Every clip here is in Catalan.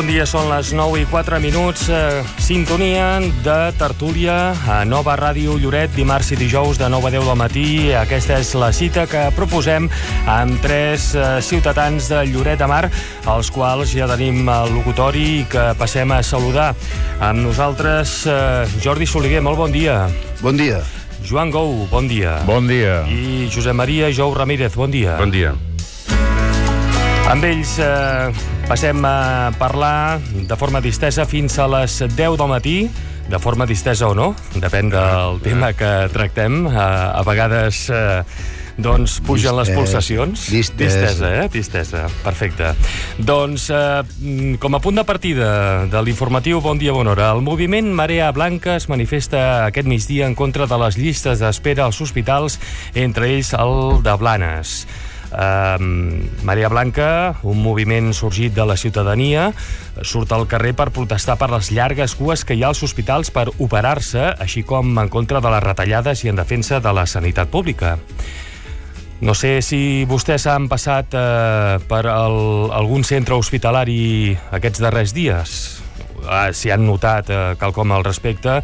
Bon dia, són les 9:04, sintonia de tertúlia a Nova Ràdio Lloret, dimarts i dijous de 9 a 10 del matí. Aquesta és la cita que proposem amb tres ciutadans de Lloret de Mar, als quals ja tenim el locutori i que passem a saludar. Amb nosaltres, Jordi Soliguer, molt bon dia. Bon dia. Joan Gou, bon dia. Bon dia. I Josep Maria Jou Ramírez, bon dia. Bon dia. Amb ells passem a parlar de forma distesa fins a les 10 del matí, de forma distesa o no, depèn del tema que tractem. A vegades doncs pugen les pulsacions. Distesa, perfecte. Doncs, com a punt de partida de l'informatiu Bon dia, bona hora, el moviment Marea Blanca es manifesta aquest migdia en contra de les llistes d'espera als hospitals, entre ells el de Blanes. Marea Blanca, un moviment sorgit de la ciutadania, surt al carrer per protestar per les llargues cues que hi ha als hospitals per operar-se, així com en contra de les retallades i en defensa de la sanitat pública. No sé si vostès han passat per algun centre hospitalari aquests darrers dies, si han notat quelcom al respecte,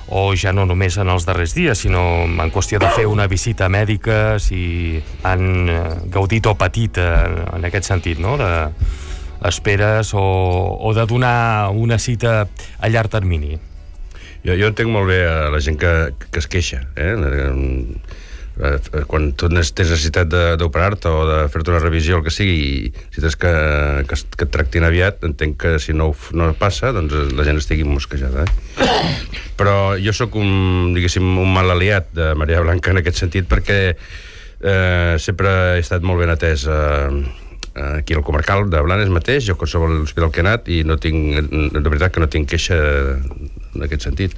o ja no només en els darrers dies, sinó en qüestió de fer una visita mèdica, si han gaudit o patit en aquest sentit, no?, d'esperes o de donar una cita a llarg termini. Jo entenc molt bé a la gent que es queixa, quan tu tens necessitat d'operar-te o de fer-te una revisió, el que sigui, i si tens que et tractin aviat, entenc que si no passa, doncs la gent estigui mosquejada. Però jo sóc un mal aliat de Marea Blanca en aquest sentit, perquè sempre he estat molt ben atès aquí al comarcal de Blanes mateix, jo a qualsevol hospital que he anat, i de veritat que no tinc queixa en aquest sentit.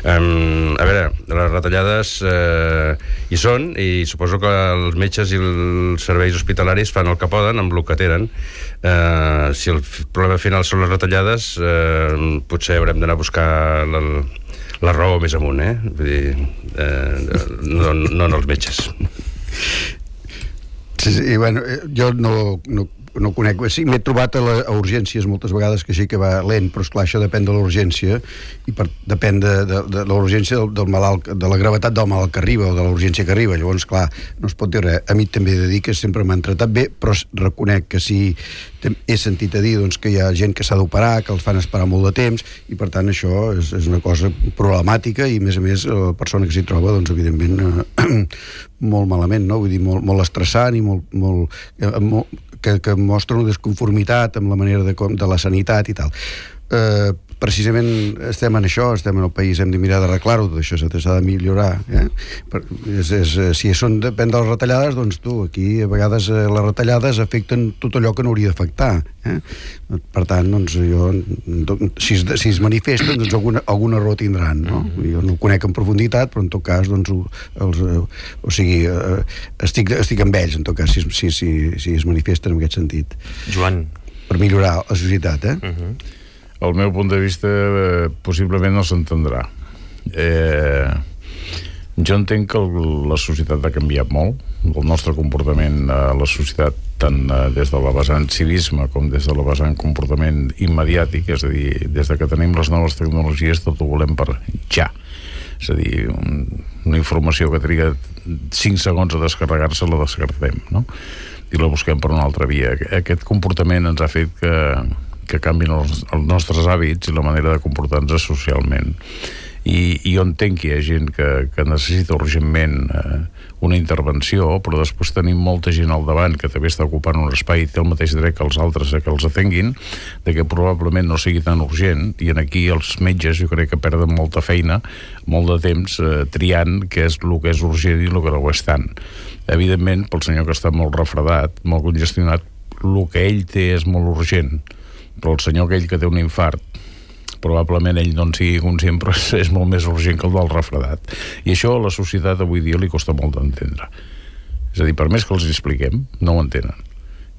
A veure, les retallades hi són, i suposo que els metges i els serveis hospitalaris fan el que poden amb el que tenen. Si el problema final són les retallades, potser haurem d'anar a buscar la raó més amunt, vull dir, no en els metges. Sí, bueno, jo no conec. Sí, m'he trobat a urgències moltes vegades que sí que va lent, però esclar, això depèn de l'urgència i depèn de l'urgència del malalt, de la gravetat del malalt que arriba o de l'urgència que arriba. Llavors, clar, no es pot dir res. A mi també he de dir que sempre m'han tratat bé, però reconec que sí, he sentit a dir doncs, que hi ha gent que s'ha d'operar, que els fan esperar molt de temps, i per tant això és una cosa problemàtica, i a més la persona que s'hi troba, doncs evidentment molt malament, no? Vull dir, molt estressant i molt que mostra una desconformitat amb la manera de la sanitat i tal. Precisament estem en això, estem en el país, hem de mirar d'arreglar-ho, tot això s'ha de millorar. Si depèn de les retallades, doncs aquí a vegades les retallades afecten tot allò que no hauria d'afectar. Per tant, doncs si es manifesten, doncs alguna raó tindran, no? Jo no ho conec en profunditat, però en tot cas, doncs, estic amb ells, en tot cas, si es manifesten en aquest sentit. Joan. Per millorar la societat, El meu punt de vista possiblement no s'entendrà. Jo entenc que la societat ha canviat molt, el nostre comportament a la societat, tant des de la vessant civisme com des de la vessant comportament immediàtic, és a dir, des de que tenim les noves tecnologies tot ho volem per ja. És a dir, una informació que triga 5 segons a descarregar-se la descartem, no? I la busquem per una altra via. Aquest comportament ens ha fet que canvien els nostres hàbits i la manera de comportar-nos socialment. I jo entenc que hi ha gent que necessita urgentment una intervenció, però després tenim molta gent al davant que també està ocupant un espai i té el mateix dret que els altres que els atenguin, de que probablement no sigui tan urgent, i aquí els metges jo crec que perden molta feina, molt de temps triant què és el que és urgent i el que no ho és tant. Evidentment, pel senyor que està molt refredat, molt congestionat, el que ell té és molt urgent, però el senyor aquell que té un infart, probablement ell no en sigui conscient, però és molt més urgent que el del refredat. I això a la societat avui dia li costa molt d'entendre. És a dir, per més que els expliquem, no ho entenen.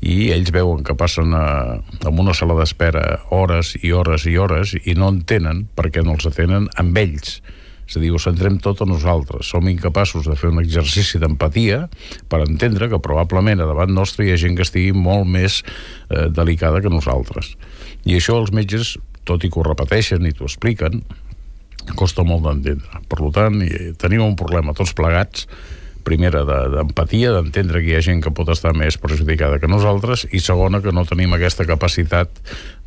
I ells veuen que passen en una sala d'espera hores i hores i hores i no entenen per què no els atenen amb ells. És a dir, ho centrem tot a nosaltres. Som incapaços de fer un exercici d'empatia per entendre que probablement a davant nostre hi ha gent que estigui molt més delicada que nosaltres. I això els metges, tot i que ho repeteixen i t'ho expliquen, costa molt d'entendre. Per tant, tenim un problema tots plegats, primera, d'empatia, d'entendre que hi ha gent que pot estar més perjudicada que nosaltres, i segona, que no tenim aquesta capacitat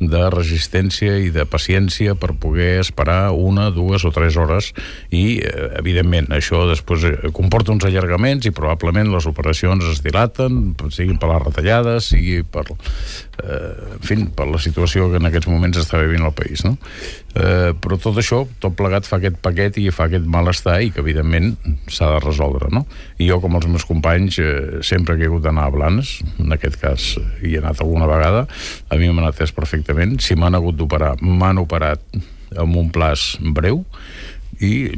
de resistència i de paciència per poder esperar 1, 2 o 3 hores, i evidentment això després comporta uns allargaments i probablement les operacions es dilaten, siguin per les retallades, sigui per per la situació que en aquests moments està vivint el país, no? Però tot això, tot plegat, fa aquest paquet i fa aquest malestar, i que evidentment s'ha de resoldre, no? I jo, com els meus companys, sempre que he hagut d'anar a Blanes, en aquest cas hi he anat alguna vegada, a mi m'han atès perfectament. Si m'han hagut d'operar, m'han operat amb un plaç breu, i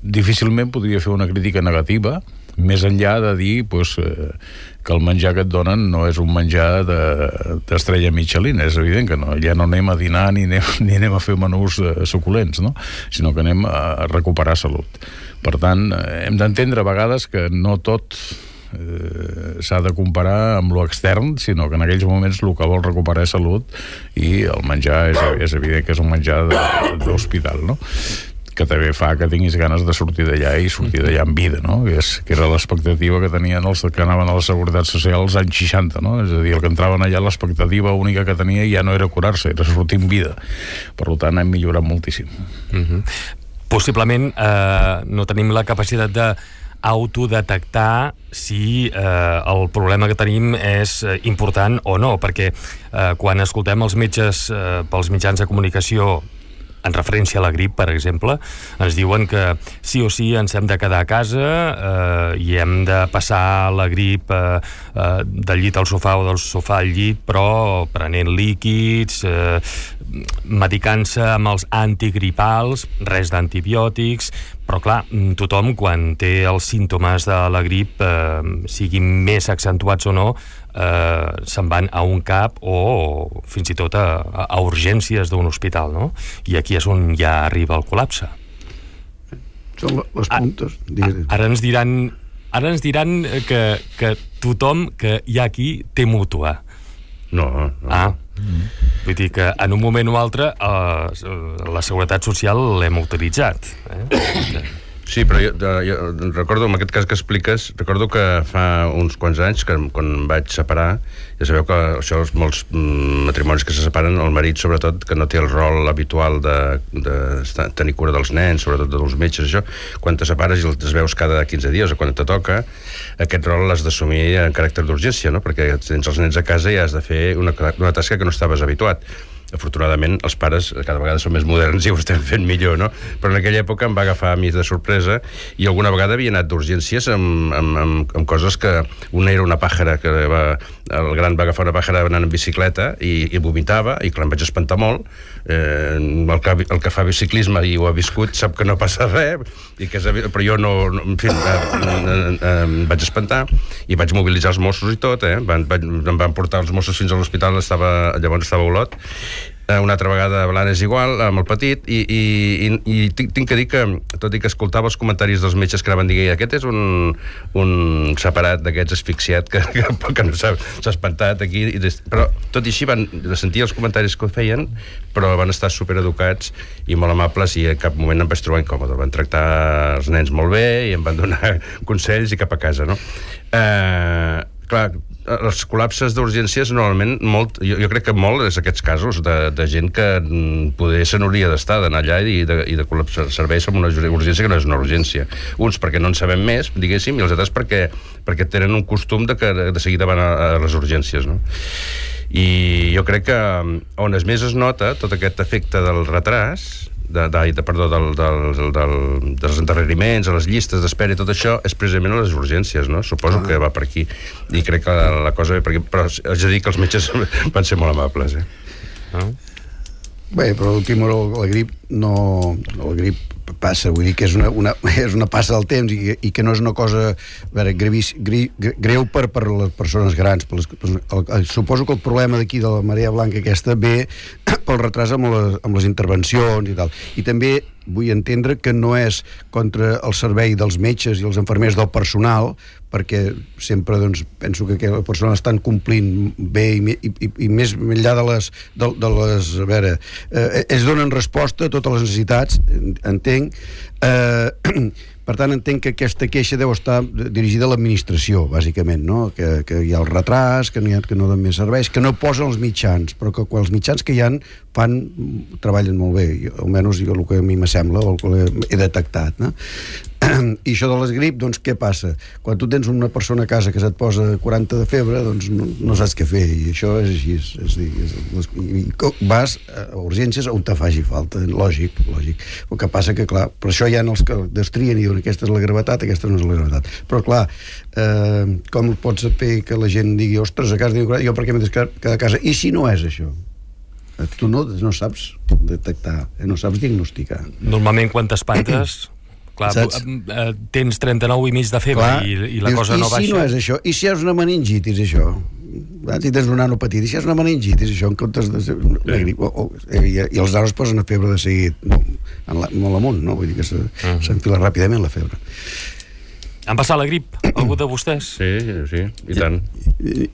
difícilment podria fer una crítica negativa, més enllà de dir que el menjar que et donen no és un menjar d'estrella Michelin. És evident que no, ja no anem a dinar ni anem a fer menús suculents, no? Sinó que anem a recuperar salut. Per tant, hem d'entendre a vegades que no tot s'ha de comparar amb lo extern, sinó que en aquells moments el que vol recuperar és salut, i el menjar és evident que és un menjar d'hospital, no? Que també fa que tinguis ganes de sortir d'allà i sortir d'allà amb vida, no? Que era l'expectativa que tenien els que anaven a la Seguretat Social als anys 60, no? És a dir, el que entraven allà, l'expectativa única que tenia ja no era curar-se, era sortir amb vida. Per tant, hem millorat moltíssim. Possiblement no tenim la capacitat d'autodetectar si el problema que tenim és important o no, perquè quan escoltem els metges pels mitjans de comunicació en referència a la grip, per exemple, ens diuen que sí o sí ens hem de quedar a casa i hem de passar la grip del llit al sofà o del sofà al llit, però prenent líquids, medicant-se amb els antigripals, res d'antibiòtics. Però clar, tothom, quan té els símptomes de la grip, siguin més accentuats o no, se'n van a un CAP o fins i tot a urgències d'un hospital, no? I aquí és on ja arriba el col·lapse. Són les puntes. Ara ens diran que tothom que hi ha aquí té mútua. No. Vull dir que en un moment o altre la Seguretat Social l'hem utilitzat. Sí, però jo recordo, en aquest cas que expliques, recordo que fa uns quants anys, que quan em vaig separar, ja sabeu que això, molts matrimonis que se separen, el marit, sobretot, que no té el rol habitual de tenir cura dels nens, sobretot dels metges, això, quan te separes i els veus cada 15 dies o quan te toca, aquest rol l'has d'assumir en caràcter d'urgència, no? Perquè tens els nens a casa i has de fer una tasca que no estaves habituat. Afortunadament, els pares cada vegada són més moderns i ho estem fent millor, no? Però en aquella època em va agafar a mi de sorpresa i alguna vegada havia anat d'urgències amb coses que... Una era una pàjara, que el gran va agafar una pàjara anant en bicicleta i vomitava, i clar, em vaig espantar molt. El que fa biciclisme i ho ha viscut sap que no passa res, però jo no... En fi, em vaig espantar i vaig mobilitzar els Mossos i tot, em van portar els Mossos fins a l'hospital, llavors estava a Olot. Una altra vegada a Blanes igual, amb el petit, i tinc que dir que, tot i que escoltava els comentaris dels metges que anaven dient aquest és un separat d'aquests asfixiat que no s'ha espantat aquí, però tot i així van sentir els comentaris que ho feien, però van estar supereducats i molt amables, i en cap moment em vaig trobar incòmode. Van tractar els nens molt bé i em van donar consells i cap a casa, no? Clar, els col·lapses d'urgències normalment jo crec que molt és aquests casos de gent que poder se n'hauria d'estar, d'anar allà i de col·lapsar serveis amb una urgència que no és una urgència. Uns perquè no en sabem més, diguéssim, i els altres perquè tenen un costum de seguida van a les urgències, no? I jo crec que on més es nota tot aquest efecte del retras, dels endarreriments, a les llistes d'espera i tot això, és precisament a les urgències, no? Suposo que va per aquí. I crec que la cosa ve per aquí. Però haig de dir que els metges van ser molt amables, Bé, però l'últim hora la grip no... La grip passa, vull dir que és una passa del temps i que no és una cosa greu per les persones grans. Suposo que el problema d'aquí de la marea blanca aquesta ve pel retras amb les intervencions i tal. I també vull entendre que no és contra el servei dels metges i els infermers del personal, perquè sempre doncs, penso que les persones estan complint bé i més enllà de les a veure, ells donen resposta a totes les necessitats, entenc, per tant entenc que aquesta queixa deu estar dirigida a l'administració, bàsicament, no? Que hi ha el retras, que no donen més serveis, que no posen els mitjans, però que els mitjans que hi ha treballen molt bé, almenys el que a mi m'assembla o el que he detectat, no? I això de les grip, doncs què passa? Quan tu tens una persona a casa que se't posa 40 de febre, doncs no saps què fer, i això és així, vas a urgències on te faci falta, lògic. El que passa que, clar, per això hi ha els que destrien i diuen aquesta és la gravetat, aquesta no és la gravetat, però clar, com pots fer que la gent digui, ostres, a casa jo per què m'he de quedar a casa? I si no és això? Tu no saps detectar, no saps diagnosticar. Normalment quan t'espantes, clar, tens 39 i mig de febre, clar, i la cosa no baixa. I si no és això? I si és una meningitis, això? Si tens una nanopatit, i si és una meningitis, això, en comptes de la grip, i els nanos posen a febre de seguit, molt amunt, no? Vull dir que s'enfila ràpidament la febre. Han passat la grip, algú de vostès? Sí, i tant.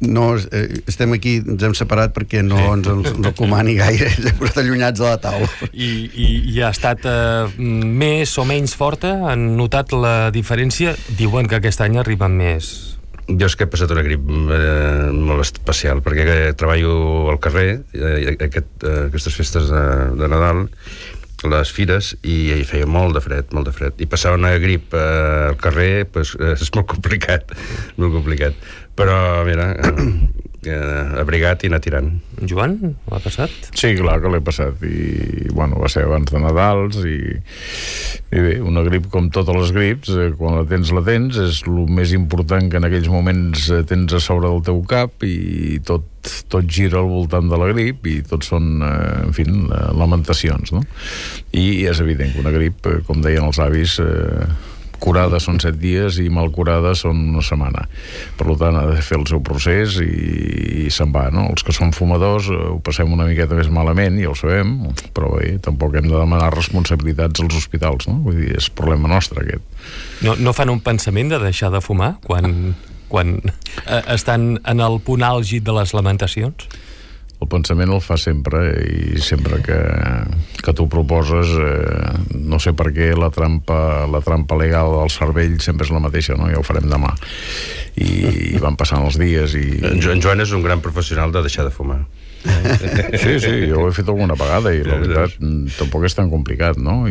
No, estem aquí, ens hem separat perquè no ens recomani gaire, ens hem posat allunyats de la taula. I ha estat més o menys forta? Han notat la diferència? Diuen que aquest any arriben més. Jo és que he passat una grip molt especial, perquè treballo al carrer, aquestes festes de Nadal, les fires, i hi feia molt de fred, i passar una grip al carrer pues, és molt complicat, però mira, abrigat i anar tirant. Joan, l'ha passat? Sí, clar que l'he passat, i bueno, va ser abans de Nadals, i bé, una grip com totes les grips, quan la tens, és el més important que en aquells moments tens a sobre del teu cap, i tot gira al voltant de la grip, i tot són, en fi, lamentacions, no? I és evident que una grip, com deien els avis, curada són 7 dies i mal curada són una setmana. Per tant, ha de fer el seu procés i se'n va, no? Els que són fumadors ho passem una miqueta més malament, ja ho sabem, però bé, tampoc hem de demanar responsabilitats als hospitals, no? Vull dir, és problema nostre, aquest. No fan un pensament de deixar de fumar quan estan en el punt àlgid de les lamentacions? El pensament el fa sempre, i sempre que tu proposes, no sé per què la trampa legal del cervell sempre és la mateixa, no? Ja ho farem demà, i van passant els dies en Joan és un gran professional de deixar de fumar. Sí, jo ho he fet alguna vegada, i la veritat tampoc és tan complicat, no?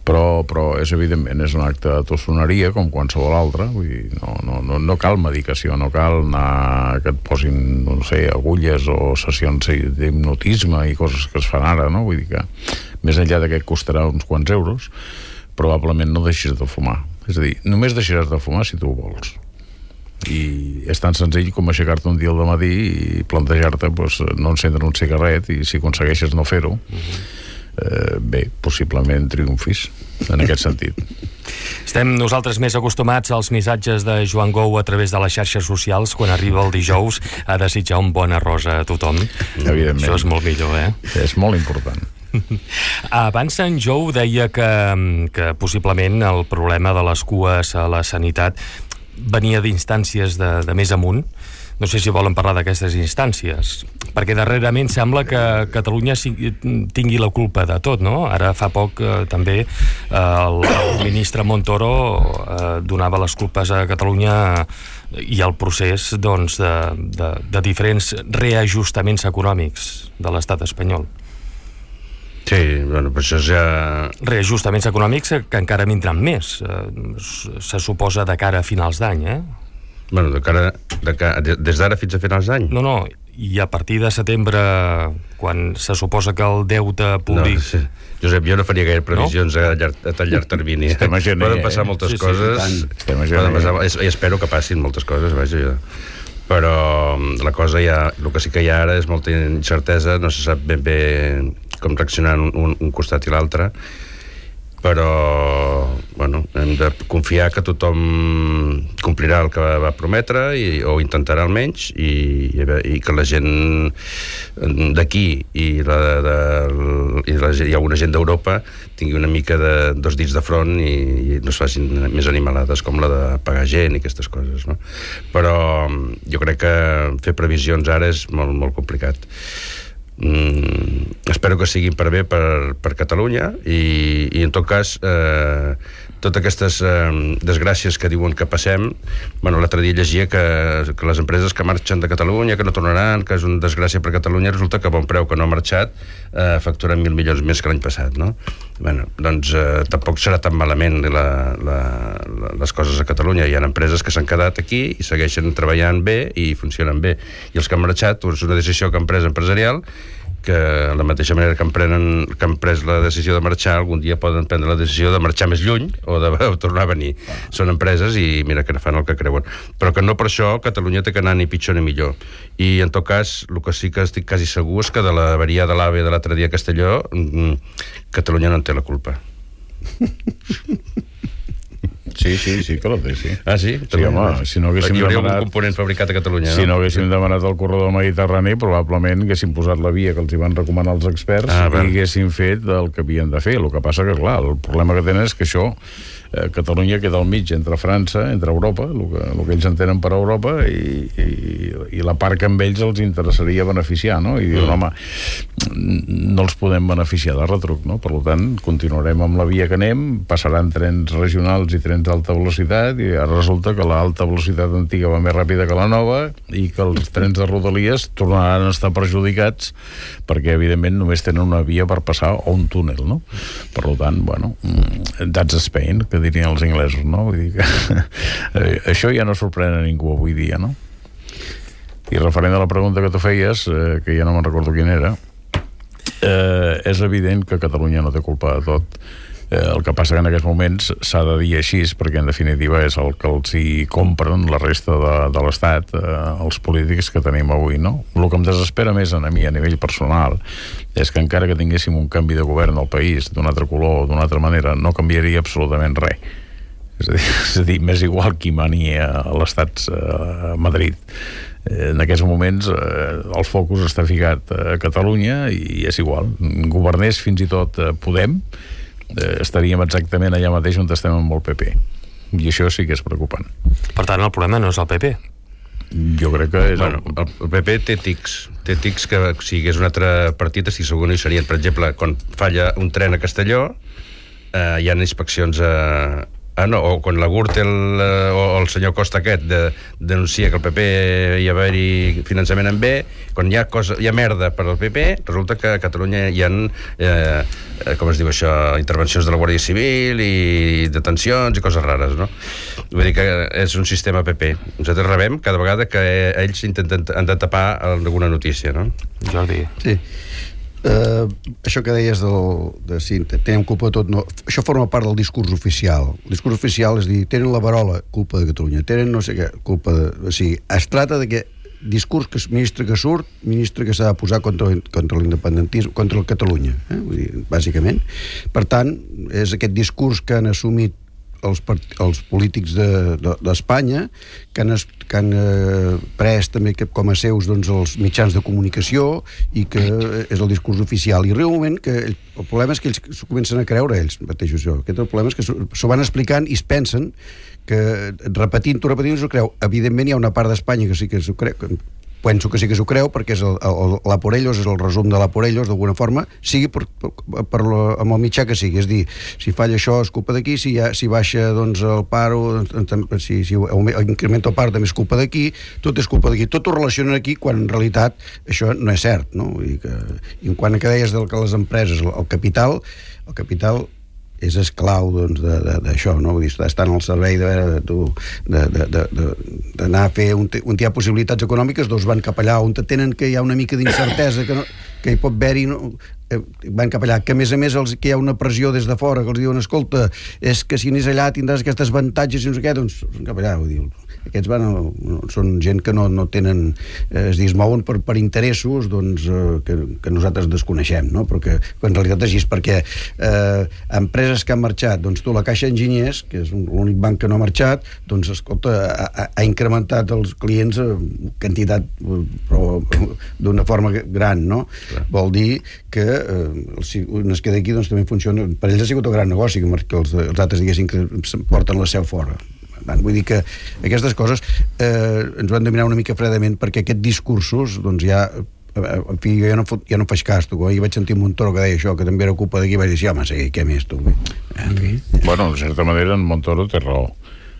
Però és evidentment és un acte de tossoneria com qualsevol altre, vull dir, no cal medicació, no cal anar que et posin, no sé, agulles o sessions d'hipnotisme i coses que es fan ara, no? Vull dir que més enllà de que et costarà uns quants euros, probablement no deixis de fumar. És a dir, només deixaràs de fumar si tu ho vols. I és tan senzill com aixecar-te un dia al matí i plantejar-te no encendre un cigarret, i si aconsegueixes no fer-ho, bé, possiblement triomfis en aquest sentit. Estem nosaltres més acostumats als missatges de Joan Gou a través de les xarxes socials quan arriba el dijous a desitjar un bon arròs a tothom. Evidentment. Això és molt millor, És molt important. Abans en Jou deia que possiblement el problema de les cues a la sanitat venia d'instàncies de més amunt. No sé si volen parlar d'aquestes instàncies, perquè darrerament sembla que Catalunya tingui la culpa de tot, no? Ara fa poc també el ministre Montoro donava les culpes a Catalunya i el procés de diferents reajustaments econòmics de l'estat espanyol. Sí, bueno, però això ja... Reajustaments econòmics que encara vindran més, se suposa de cara a finals d'any, Bueno, des d'ara fins a finals d'any? No, i a partir de setembre, quan se suposa que el deute públic... No, sí. Josep, jo no faria gaire previsions a tan llarg termini. Poden passar moltes coses, i espero que passin moltes coses, vaja, però la cosa el que sí que hi ha ara és molta incertesa, no se sap ben bé com reaccionar un costat i l'altre, però bueno, hem de confiar que tothom complirà el que va prometre o intentarà almenys i que la gent d'aquí i alguna gent d'Europa tingui una mica de dos dits de front i no es facin més animalades com la de pagar gent i aquestes coses, no? Però jo crec que fer previsions ara és molt, molt complicat. Espero que siguin per bé per Catalunya i en tot cas totes aquestes desgràcies que diuen que passem, bueno, l'altre dia llegia que les empreses que marxen de Catalunya, que no tornaran, que és una desgràcia per Catalunya, resulta que a bon preu que no ha marxat facturen 1.000 milions més que l'any passat, no? Bueno, doncs tampoc serà tan malament les coses a Catalunya. Hi ha empreses que s'han quedat aquí i segueixen treballant bé i funcionen bé, i els que han marxat, és una decisió que han pres empresarial, que de la mateixa manera que han pres la decisió de marxar, algun dia poden prendre la decisió de marxar més lluny o de tornar a venir. Són empreses i mira que fan el que creuen. Però que no per això Catalunya té que anar ni pitjor ni millor. I en tot cas, el que sí que estic quasi segur és que de la avaria de l'AVE de l'altre dia a Castelló, Catalunya no en té la culpa. Sí que la té, sí. Ah, sí? Sí, home, si no haguéssim hi hauria demanat... un component fabricat a Catalunya, no? Si no haguéssim demanat el corredor mediterrani, probablement haguéssim posat la via que els hi van recomanar els experts i haguéssim fet el que havien de fer. El que passa que, clar, el problema que tenen és que això, Catalunya queda al mig entre França, entre Europa, el que ells entenen per Europa, i la part que amb ells els interessaria beneficiar, no? I diuen, home, no els podem beneficiar de retruc, no? Per tant, continuarem amb la via que anem, passaran trens regionals i trens d'alta velocitat, i ara resulta que l'alta velocitat antiga va més ràpida que la nova i que els trens de Rodalies tornaran a estar perjudicats perquè, evidentment, només tenen una via per passar o un túnel, no? Per tant, bueno, that's Spain, que dirien els inglesos, no? Vull dir que això ja no sorprèn a ningú avui dia, no? I referent a la pregunta que tu feies, que ja no me'n recordo quina era, és evident que Catalunya no té culpa de tot. El que passa que en aquests moments s'ha de dir així, perquè en definitiva és el que els hi compren la resta de l'Estat, els polítics que tenim avui, no? El que em desespera més a mi a nivell personal és que encara que tinguéssim un canvi de govern al país d'un altre color o d'una altra manera, no canviaria absolutament res. És a dir, m'és igual qui mani a l'Estat a Madrid. En aquests moments el focus està ficat a Catalunya i és igual. Governés fins i tot Podem, estaríem exactament allà mateix on estem amb el PP, i això sí que és preocupant. Per tant, el problema no és el PP. Jo crec que és... Bueno, el PP té tics que si hi hagués un altre partit estic segur no hi serien. Per exemple, quan falla un tren a Castelló hi ha inspeccions o quan la Gürtel o el senyor Costa aquest denuncia que el PP hi ha haver-hi finançament en B, quan hi ha merda per al PP, resulta que a Catalunya hi ha com es diu això, intervencions de la Guàrdia Civil i detencions i coses rares, no? Vull dir que és un sistema PP. Nosaltres rebem cada vegada que ells han de tapar alguna notícia, no? Jordi. Sí. Això que deies si tenim culpa de tot, no, això forma part del discurs oficial. El discurs oficial és dir, tenen la verola, culpa de Catalunya, tenen no sé què, culpa de... O sigui, es tracta de que discurs que ministre que surt, ministre que s'ha de posar contra l'independentisme, contra el Catalunya, vull dir, bàsicament. Per tant, és aquest discurs que han assumit els polítics d'Espanya, que han pres també com a seus els mitjans de comunicació i que és el discurs oficial. I arriba un moment que el problema és que ells s'ho comencen a creure ells mateixos. Aquest el problema és que s'ho van explicant i es pensen que repetint-ho s'ho creu. Evidentment hi ha una part d'Espanya que sí que s'ho creu, penso que sí que s'ho creu, perquè és la por ellos, és el resum de la por ellos, d'alguna forma, sigui amb el mitjà que sigui. És dir, si falla això és culpa d'aquí, si baixa el paro, si incrementa el paro també és culpa d'aquí, tot és culpa d'aquí. Tot ho relacionen aquí, quan en realitat això no és cert, no? I en quant a que deies que les empreses, el capital és esclau d'això, no? Vull dir, estan al servei d'anar a fer on hi ha possibilitats econòmiques, van cap allà on tenen que hi ha una mica d'incertesa, que no... que hi pot haver-hi van cap allà, que a més que hi ha una pressió des de fora, que els diuen, escolta, és que si anés allà tindràs aquestes avantatges i no sé què, doncs cap allà, vull dir, aquests són gent que no tenen, es mouen per interessos doncs, que nosaltres desconeixem, no? Però que en realitat és així, perquè empreses que han marxat, doncs tu, la Caixa Enginyers, que és l'únic banc que no ha marxat, doncs escolta, ha incrementat els clients quantitat, però d'una forma gran, no? Clar. Vol dir que es queda aquí, doncs també funciona, per ells ha sigut un gran negoci que els altres diguessin que porten la seu fora. Vull dir que aquestes coses ens ho han de mirar una mica fredament, perquè aquests discursos doncs ja, en fi, jo ja no faig cas, tu. Ahir vaig sentir Montoro que deia això, que també era culpa d'aquí, vaig dir, sí, home, sí, què més, tu? En fi. Bueno, de certa manera en Montoro té raó,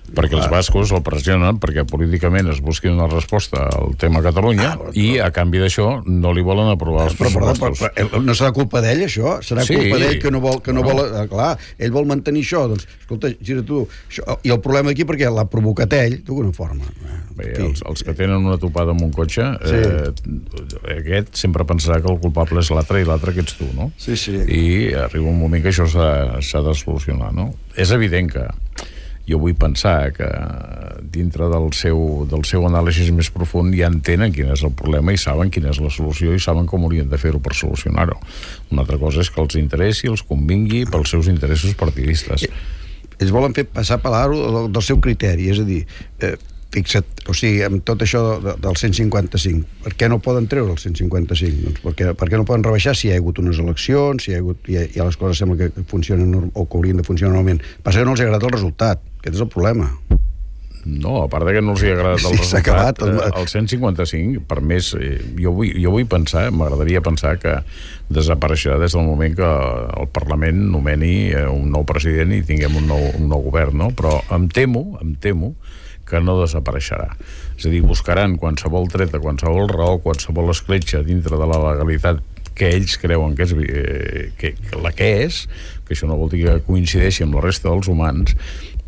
perquè els bascos el pressionen perquè políticament es busqui una resposta al tema Catalunya i a canvi d'això no li volen aprovar els pressupostos. Però no serà culpa d'ell, això? Serà culpa d'ell que no vol... Clar, ell vol mantenir això, doncs, escolta, gira tu... I el problema aquí, perquè l'ha provocat ell d'alguna forma. Bé, els que tenen una topada amb un cotxe, aquest sempre pensarà que el culpable és l'altre i l'altre que ets tu, no? Sí. I arriba un moment que això s'ha de solucionar, no? És evident que jo vull pensar que dintre del seu anàlisi més profund ja entenen quin és el problema i saben quina és la solució i saben com haurien de fer-ho per solucionar-ho. Una altra cosa és que els interessi, els convingui pels seus interessos partidistes. Ells volen fer passar per l'aro del seu criteri, és a dir, fixa't, o sigui, amb tot això del 155, per què no poden treure el 155? Doncs per què no poden rebaixar si hi ha hagut unes eleccions, si hi ha les coses sembla que funcionen o que haurien de funcionar normalment. Passa que no els ha agradat el resultat, aquest és el problema. No, a part de que no els hi ha agradat el resultat, el 155, per més, jo vull pensar, m'agradaria pensar que desapareixerà des del moment que el Parlament nomeni un nou president i tinguem un nou govern, no? Però em temo que no desapareixerà. És a dir, buscaran qualsevol treta, qualsevol raó, qualsevol escletxa dintre de la legalitat que ells creuen que és, que això no vol dir que coincideixi amb la resta dels humans,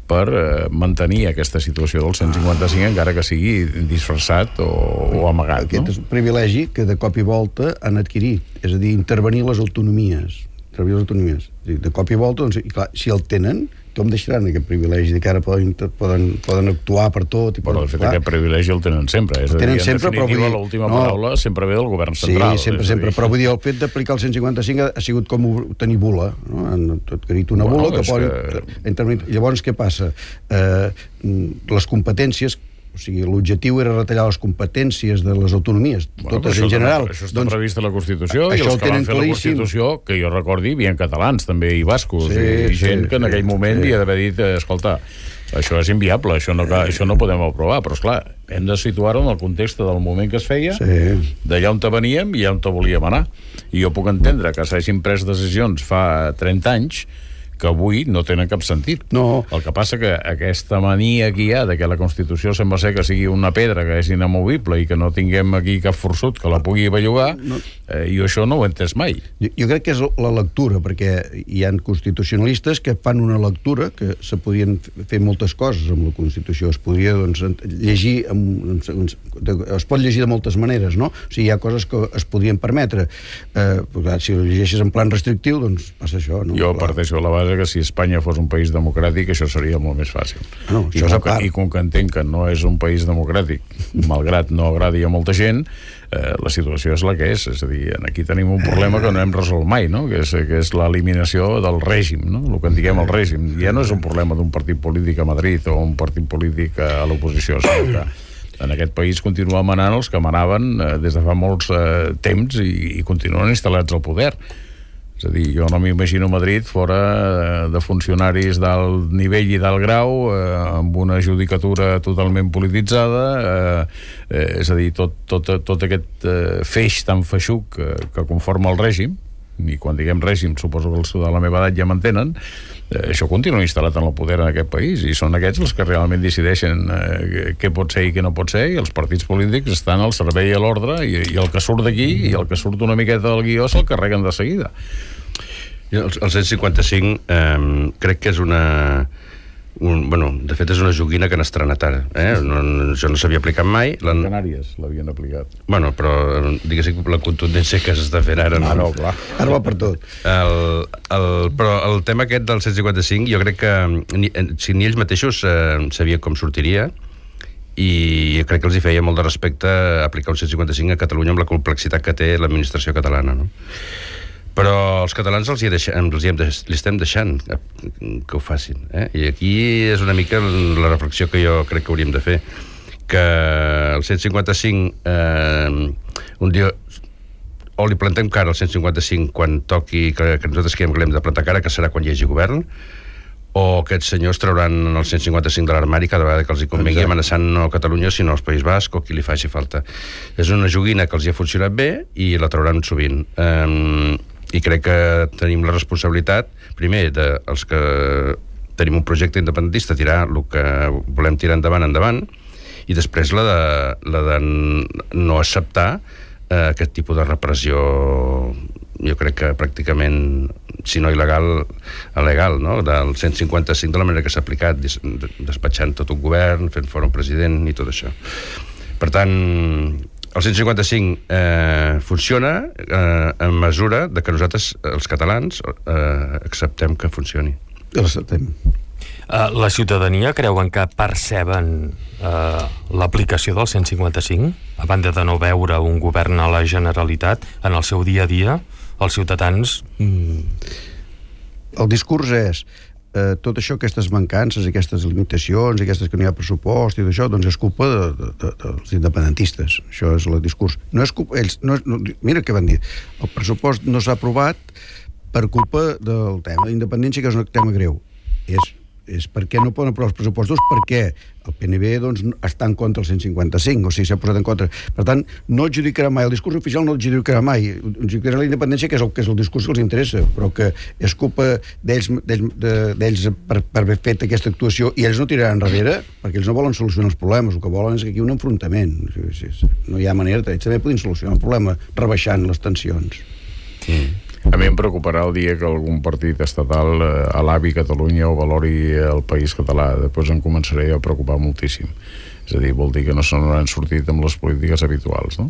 per mantenir aquesta situació del 155 encara que sigui disfressat o amagat. Aquest és un privilegi que de cop i volta han adquirit, és a dir, intervenir les autonomies. De cop i volta, doncs, i clar, si el tenen, com deixaran aquest privilegi de que ara poden actuar per tot? Però de fet aquest privilegi el tenen sempre, és a dir, en definitiva l'última paraula sempre ve del govern central. Sí, sempre, però vull dir, el fet d'aplicar el 155 ha sigut com tenir bula, no? Han adquirit una bula que poden intervenir. Llavors què passa? Les competències, o sigui, l'objectiu era retallar les competències de les autonomies, totes en general. Això està previst a la Constitució i els que van fer la Constitució, que jo recordi, hi havia catalans també i bascos i gent que en aquell moment hi ha d'haver dit, escolta, això és inviable, això no podem aprovar, però esclar, hem de situar-ho en el context del moment que es feia, d'allà on veníem i on volíem anar. I jo puc entendre que s'hagin pres decisions fa 30 anys que avui no tenen cap sentit. No. El que passa que aquesta mania que hi ha de que la Constitució sembla ser que sigui una pedra que és inamovible i que no tinguem aquí cap forçut que la pugui bellugar, jo això no ho he entès mai. Jo crec que és la lectura, perquè hi ha constitucionalistes que fan una lectura que se podien fer moltes coses amb la Constitució. Es podria, doncs, llegir es pot llegir de moltes maneres, no? O sigui, hi ha coses que es podrien permetre. Si ho llegeixes en plan restrictiu, doncs passa això, no? Jo parteixo de la base que si Espanya fos un país democràtic això seria molt més fàcil. I com que entenc que no és un país democràtic, malgrat no agradi a molta gent, la situació és la que és. És a dir, aquí tenim un problema que no hem resolt mai, no? Que és l'eliminació del règim, no? El que en diguem el règim. Ja no és un problema d'un partit polític a Madrid o un partit polític a l'oposició, sinó que en aquest país continuen manant els que manaven des de fa molts temps i continuen instal·lats al poder. És a dir, jo no m'imagino Madrid fora de funcionaris d'alt nivell i d'alt grau, amb una judicatura totalment polititzada, és a dir, tot aquest feix tan feixuc que conforma el règim, i quan diguem règim suposo que els de la meva edat ja m'entenen, això continua instal·lat en el poder en aquest país i són aquests els que realment decideixen què pot ser i què no pot ser, i els partits polítics estan al servei i a l'ordre, i el que surt d'aquí i el que surt una miqueta del guió se'l carreguen de seguida. El 155 crec que és una de fet és una joguina que han estrenat ara, això no s'havia aplicat mai. Canàries l'havien aplicat. Bueno, però diguéssim la contundència que s'està fent ara no, clar. Ara va per tot. Però el tema aquest del 155 jo crec que ni ells mateixos sabien com sortiria, i crec que els hi feia molt de respecte aplicar un 155 a Catalunya amb la complexitat que té l'administració catalana, no? Però els catalans li estem deixant que ho facin, I aquí és una mica la reflexió que jo crec que hauríem de fer, que el 155 un dia o li plantem cara al 155 quan toqui, que nosaltres creiem que l'hem de plantar cara, que serà quan hi hagi govern, o aquests senyors trauran el 155 de l'armari cada vegada que els hi convengui, amenaçant no a Catalunya sinó als País Basc o qui li faci falta. És una joguina que els hi ha funcionat bé i la trauran sovint. I crec que tenim la responsabilitat, primer, dels que tenim un projecte independentista, tirar el que volem tirar endavant, i després la de no acceptar aquest tipus de repressió, jo crec que pràcticament, si no il·legal, legal, no? Del 155 de la manera que s'ha aplicat, despatxant tot un govern, fent fora un president i tot això. Per tant, el 155 funciona en mesura de que nosaltres, els catalans, acceptem que funcioni. L'acceptem. La ciutadania creuen que perceben l'aplicació del 155? A banda de no veure un govern a la Generalitat, en el seu dia a dia, els ciutadans... El discurs és tot això, aquestes mancances, aquestes limitacions, aquestes que no hi ha pressupost i d'això, doncs és culpa dels independentistes. Això és el discurs. No és culpa, mira què van dir. El pressupost no s'ha aprovat per culpa del tema d'independència, que és un tema greu. És perquè no poden aprovar els pressupostos, perquè el PNB doncs, està en contra del 155, o sigui, s'ha posat en contra. Per tant, no adjudicarà mai, el discurs oficial no adjudicarà mai, adjudicarà la independència, que és el discurs que els interessa, però que és culpa d'ells per haver fet aquesta actuació, i ells no tiraran enrere, perquè ells no volen solucionar els problemes, el que volen és aquí un enfrontament. No hi ha manera, ells també podien solucionar el problema rebaixant les tensions. A mi em preocuparà el dia que algun partit estatal alabi Catalunya o valori el país català. Després em començaré a preocupar moltíssim. És a dir, vol dir que no se n'hauran sortit amb les polítiques habituals, no?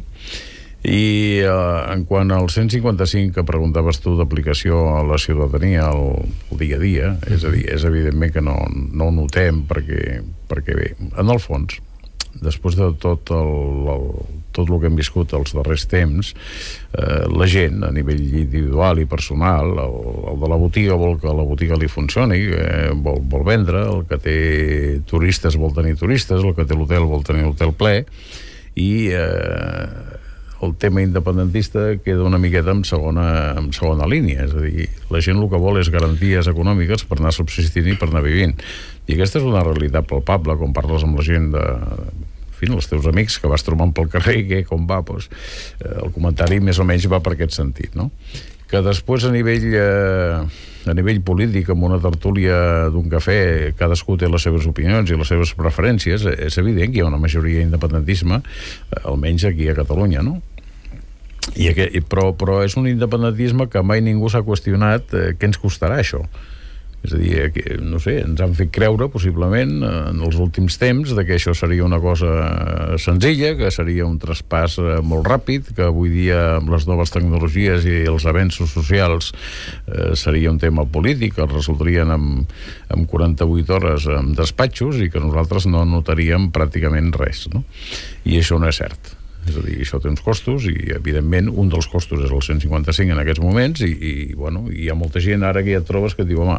I en quant al 155 que preguntaves tu d'aplicació a la ciutadania el dia a dia, és a dir, és evidentment que no ho notem perquè bé, en el fons, després de tot el que hem viscut els darrers temps, la gent, a nivell individual i personal, el de la botiga vol que la botiga li funcioni, vol vendre, el que té turistes vol tenir turistes, el que té l'hotel vol tenir l'hotel ple, i el tema independentista queda una miqueta en segona línia. És a dir, la gent el que vol és garanties econòmiques per anar subsistint i per anar vivint. I aquesta és una realitat palpable, quan parles amb la gent els teus amics que vas trobant pel carrer, com va, doncs, el comentari més o menys va per aquest sentit, no? Que després a nivell polític, amb una tertúlia d'un cafè, cadascú té les seves opinions i les seves preferències, és evident que hi ha una majoria d'independentisme, almenys aquí a Catalunya, no? Però és un independentisme que mai ningú s'ha qüestionat què ens costarà això. És a dir, no sé, ens han fet creure, possiblement, en els últims temps, que això seria una cosa senzilla, que seria un traspàs molt ràpid, que avui dia, amb les noves tecnologies i els avenços socials, seria un tema polític, que resoldrien en 48 hores en despatxos i que nosaltres no notaríem pràcticament res, no? I això no és cert. És a dir, això té uns costos i, evidentment, un dels costos és el 155 en aquests moments i hi ha molta gent ara que ja et trobes que et diu, home,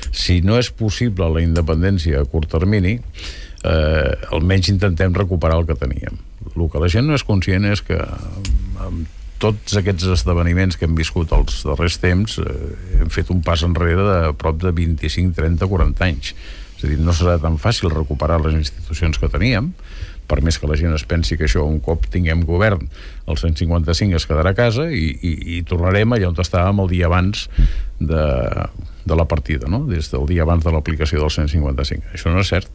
si no és possible la independència a curt termini, almenys intentem recuperar el que teníem. El que la gent no és conscient és que amb tots aquests esdeveniments que hem viscut els darrers temps hem fet un pas enrere de prop de 25, 30, 40 anys. És a dir, no serà tan fàcil recuperar les institucions que teníem, per més que la gent es pensi que això, un cop tinguem govern, el 155 es quedarà a casa i tornarem allà on estàvem el dia abans de la partida, no? Des del dia abans de l'aplicació del 155. Això no és cert.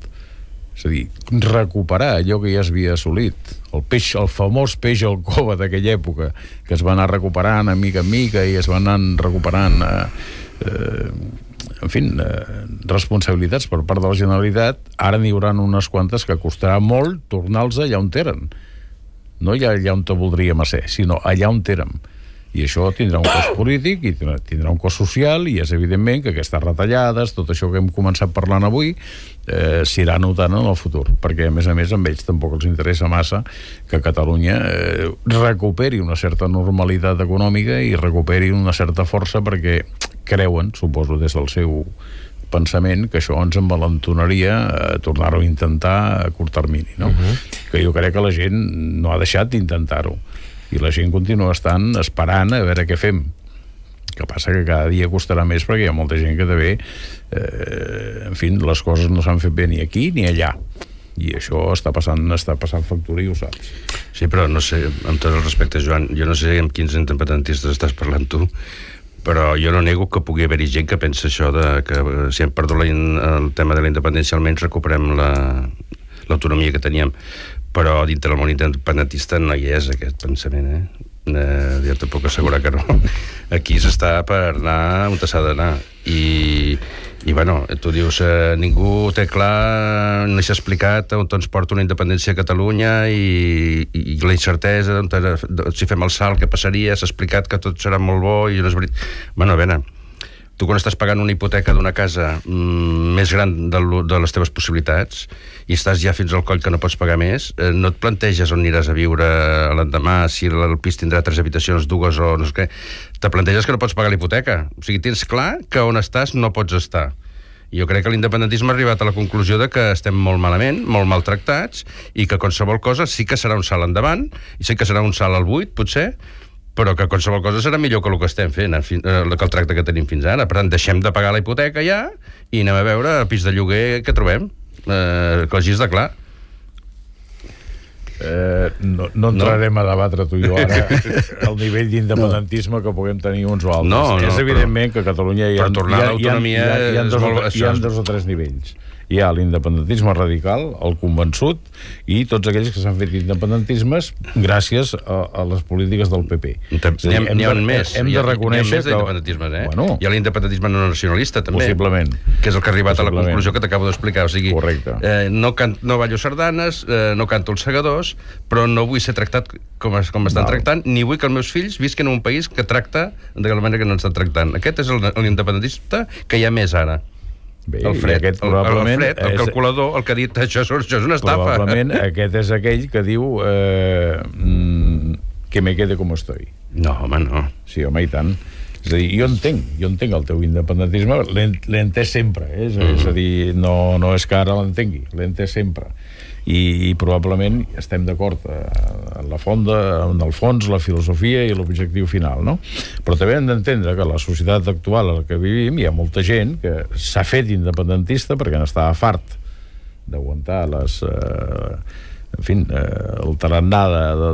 És a dir, recuperar allò que ja s'havia assolit, el famós peix al cova d'aquella època, que es va anar recuperant a mica en mica i es va anar recuperant en fi, responsabilitats per part de la Generalitat. Ara n'hi haurà unes quantes que costarà molt tornar-los allà on eren. No allà on te voldríem ser, sinó allà on érem. I això tindrà un cost polític i tindrà un cost social, i és evidentment que aquestes retallades, tot això que hem començat parlant avui, s'irà notant en el futur, perquè a més amb ells tampoc els interessa massa que Catalunya recuperi una certa normalitat econòmica i recuperi una certa força, perquè creuen, suposo des del seu pensament, que això ens envalentonaria a tornar-ho a intentar a curt termini, no? Que jo crec que la gent no ha deixat d'intentar-ho, i la gent continua estant esperant a veure què fem. Que passa que cada dia costarà més, perquè hi ha molta gent que també en fi, les coses no s'han fet bé ni aquí ni allà, i això està passant factura, i ho saps. Sí, però no sé, amb tot el respecte, Joan, jo no sé amb quins independentistes estàs parlant tu, però jo no nego que pugui haver-hi gent que pensa això de que si hem perdut el tema de la independència almenys recuperem l'autonomia que teníem, però dintre del món independentista no hi és aquest pensament, jo te puc assegurar que no. Aquí s'està per anar on s'ha d'anar, i bueno, tu dius ningú té clar, no s'ha explicat on ens porta una independència a Catalunya, i la incertesa, si fem el salt què passaria, s'ha explicat que tot serà molt bo i no és veritat. Bueno, a veure, tu quan estàs pagant una hipoteca d'una casa més gran de les teves possibilitats i estàs ja fins al coll que no pots pagar més, no et planteges on aniràs a viure l'endemà, si el pis tindrà 3 habitacions, 2 o no sé què. Te planteges que no pots pagar la hipoteca. O sigui, tens clar que on estàs no pots estar. I jo crec que l'independentisme ha arribat a la conclusió de que estem molt malament, molt maltractats, i que qualsevol cosa sí que serà un salt endavant, i sí que serà un salt al buit, potser, però que qualsevol cosa serà millor que el que estem fent, que el tracte que tenim fins ara. Per tant, deixem de pagar la hipoteca ja i anem a veure el pis de lloguer que trobem, que així està clar. No entrarem a debatre tu i jo ara el nivell d'independentisme que puguem tenir uns o altres. És evidentment que a Catalunya hi ha 2 o 3 nivells. Hi ha l'independentisme radical, el convençut, i tots aquells que s'han fet independentismes gràcies a les polítiques del PP. N'hi ha més. Hem de reconèixer que... Hi ha l'independentisme no nacionalista, també. Possiblement. Que és el que ha arribat a la conclusió que t'acabo d'explicar. O sigui, no ballo sardanes, no canto els segadors, però no vull ser tractat com estan tractant, ni vull que els meus fills visquen en un país que tracta de la manera que no estan tractant. Aquest és l'independentista que hi ha més ara. Bé, el Fred, el calculador, el que ha dit això és una estafa. Probablement aquest és aquell que diu que me quede com estoy. No, home, no. Sí, home, i tant. És a dir, jo entenc el teu independentisme, l'he entès sempre, és a dir, no és que ara l'entengui, l'he entès sempre. I probablement estem d'acord en el fons, la filosofia i l'objectiu final, no? Però també hem d'entendre que la societat actual en la que vivim hi ha molta gent que s'ha fet independentista perquè n'estava fart d'aguantar el tarannà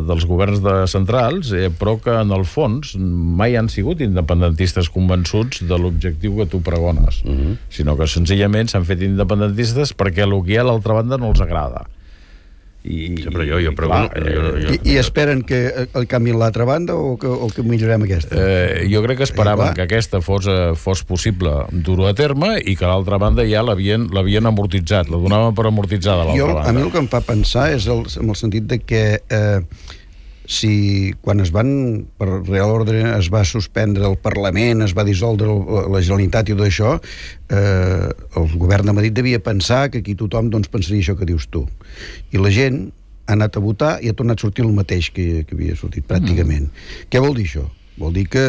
dels governs centrals, però que en el fons mai han sigut independentistes convençuts de l'objectiu que tu pregones, sinó que senzillament s'han fet independentistes perquè el que hi ha a l'altra banda no els agrada. I esperen que canviïn l'altra banda o que millorem aquesta? Jo crec que esperaven que aquesta fos possible dur-ho a terme i que l'altra banda ja l'havien amortitzat, la donaven per amortitzada l'altra banda. A mi el que em fa pensar és en el sentit de que si quan per Real Ordre es va suspendre el Parlament, es va dissoldre la Generalitat i tot això, el govern de Madrid devia pensar que aquí tothom pensaria això que dius tu. I la gent ha anat a votar i ha tornat a sortir el mateix que havia sortit, pràcticament. Què vol dir això? Vol dir que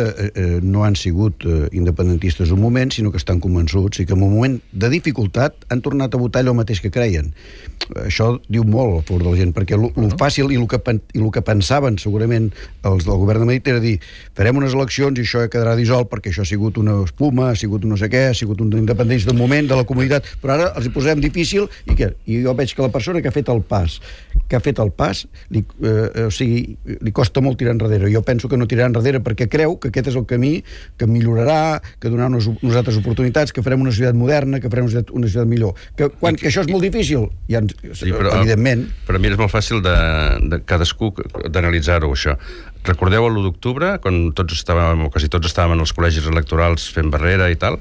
no han sigut independentistes un moment, sinó que estan convençuts i que en un moment de dificultat han tornat a votar allò mateix que creien. Això diu molt a favor de la gent, perquè el fàcil i el que pensaven segurament els del govern de Madrid era dir, farem unes eleccions i això quedarà dissolt perquè això ha sigut una espuma, ha sigut un no sé què, ha sigut un independentista d'un moment de la comunitat, però ara els hi posem difícil i jo veig que la persona que ha fet el pas li costa molt tirar enrere. Jo penso que no tirarà enrere perquè creu que aquest és el camí que millorarà, que donarà unes altres oportunitats, que farem una societat moderna, que farem una societat millor. Que això és molt difícil, evidentment. Per a mi és molt fàcil de cadascú d'analitzar-ho, això. Recordeu l'1 d'octubre, quan quasi tots estàvem en els col·legis electorals fent barrera i tal,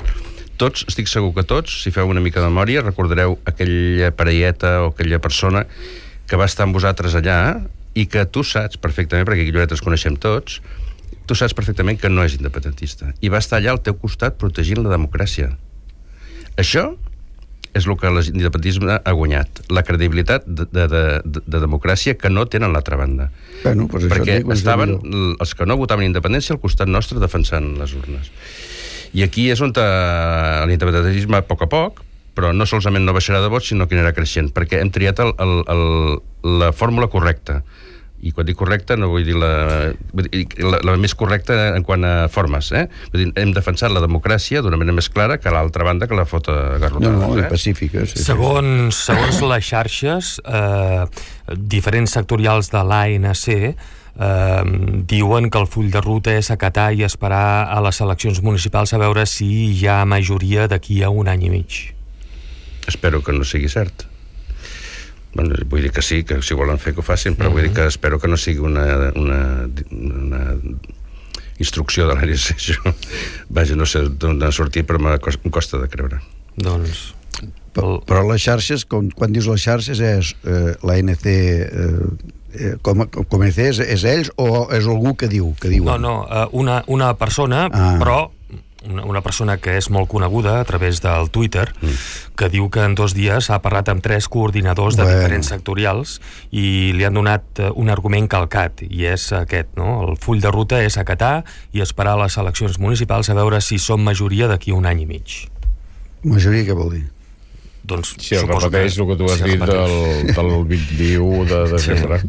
tots, estic segur que tots, si feu una mica de memòria, recordareu aquella parelleta o aquella persona que va estar amb vosaltres allà i que tu saps perfectament, perquè aquí a Lloret els coneixem tots, tu saps perfectament que no és independentista. I va estar allà al teu costat protegint la democràcia. Això és el que l'independentisme ha guanyat, la credibilitat de democràcia que no tenen l'altra banda. Bueno, pues perquè estaven els que no votaven independència al costat nostre defensant les urnes. I aquí és on l'independentisme, a poc, però no solament no baixarà de vots, sinó que anirà creixent, perquè hem triat la fórmula correcta. I quan dic correcta no vull dir la més correcta en quant a formes. Vull dir, hem defensat la democràcia d'una manera més clara que l'altra banda que la fota garrotada. No, pacífica. Sí, segons les xarxes, diferents sectorials de l'ANC diuen que el full de ruta és acatar i esperar a les eleccions municipals a veure si hi ha majoria d'aquí a un any i mig. Espero que no sigui cert. Bueno, vull dir que sí, que si volen fer que ho facin, però vull dir que espero que no sigui una instrucció de l'ANC. Vaja, no sé d'on ha sortit, però em costa de creure. Doncs... Però les xarxes, quan dius les xarxes, és l'ANC... com és ells o és algú que diuen? No, una persona, però una persona que és molt coneguda a través del Twitter, que diu que en 2 dies ha parlat amb 3 coordinadors de diferents sectorials i li han donat un argument calcat, i és aquest, no? El full de ruta és acatar i esperar les eleccions municipals a veure si som majoria d'aquí a un any i mig. Majoria què vol dir? Doncs si es repeteix el que tu has dit del 21 de desembre.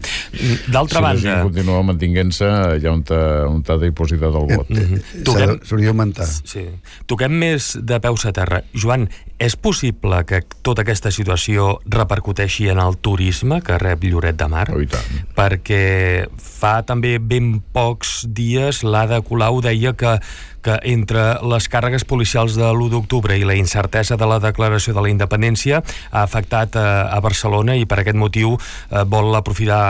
D'altra banda... Si la gent continua mantinguent-se, hi ha un t'ha dipositat el vot. S'hauria d'augmentar. Sí. Toquem més de peus a terra. Joan, és possible que tota aquesta situació repercuteixi en el turisme que rep Lloret de Mar? Oh, i tant. Perquè fa també ben pocs dies l'Ada Colau deia que entre les càrregues policials de l'1 d'octubre i la incertesa de la declaració de la independència ha afectat a Barcelona i per aquest motiu vol aprofitar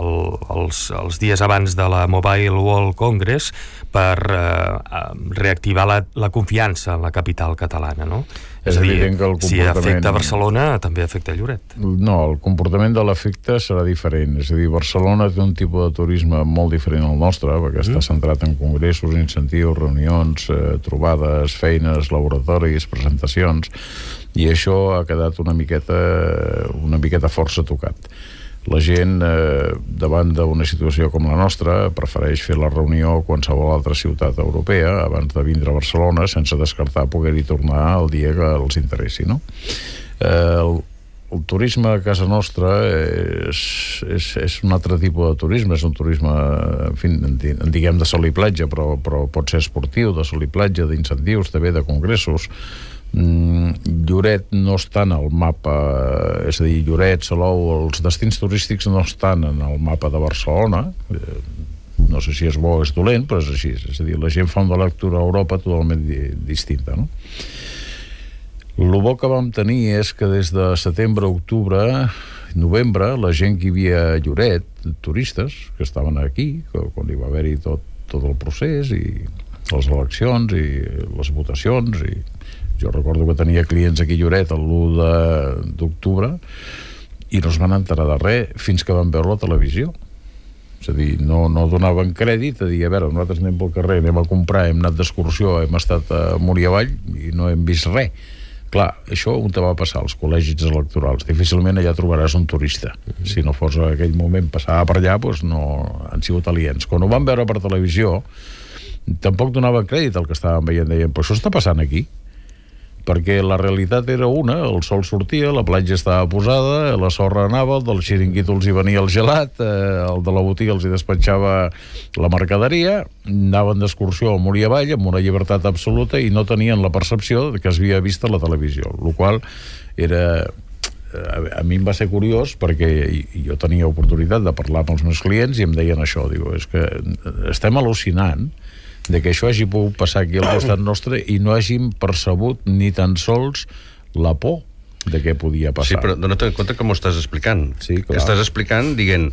els dies abans de la Mobile World Congress per reactivar la confiança en la capital catalana, no? És a dir, si afecta Barcelona, també afecta Lloret. No, el comportament de l'efecte serà diferent. És a dir, Barcelona té un tipus de turisme molt diferent al nostre, perquè està centrat en congressos, incentius, reunions, trobades, feines, laboratoris, presentacions, i això ha quedat una miqueta força tocat. La gent, davant d'una situació com la nostra, prefereix fer la reunió a qualsevol altra ciutat europea abans de vindre a Barcelona, sense descartar poder-hi tornar el dia que els interessi, no? El turisme a casa nostra és un altre tipus de turisme, és un turisme, en fi, en diguem de sol i platja, però pot ser esportiu, de sol i platja, d'incentius, també de congressos. Lloret no està en el mapa, és a dir, Lloret, Salou, els destins turístics no estan en el mapa de Barcelona. No sé si és bo o és dolent, però és així. És a dir, la gent fa una lectura a Europa totalment distinta, no? El bo que vam tenir és que des de setembre, octubre, novembre, la gent que hi havia a Lloret, turistes que estaven aquí, quan hi va haver-hi tot el procés i les eleccions i les votacions, i jo recordo que tenia clients aquí a Lloret l'1 d'octubre i no es van enterar de res fins que van veure la televisió. És a dir, no donaven crèdit a dir, a veure, nosaltres anem pel carrer, anem a comprar, hem anat d'excursió, hem estat a Múria Avall i no hem vist res. Clar, això on te va passar als col·legis electorals? Difícilment allà trobaràs un turista. Si no fos en aquell moment passava per allà, doncs no han sigut aliens. Quan ho van veure per televisió, tampoc donaven crèdit al que estàvem veient. Deien, però això està passant aquí? Perquè la realitat era una, el sol sortia, la platja estava posada, la sorra anava, el del xiringuito els hi venia el gelat, el de la botiga els hi despatxava la mercaderia, anaven d'excursió a Múria Avall amb una llibertat absoluta i no tenien la percepció que es havia vist a la televisió, el qual era... A mi em va ser curiós perquè jo tenia oportunitat de parlar amb els meus clients i em deien això, diu, és que estem al·lucinant de que això hagi pogut passar aquí al costat nostre i no hàgim percebut ni tan sols la por de què podia passar. Sí, però dona't en compte que m'ho estàs explicant. Sí, clar. Estàs explicant, dient,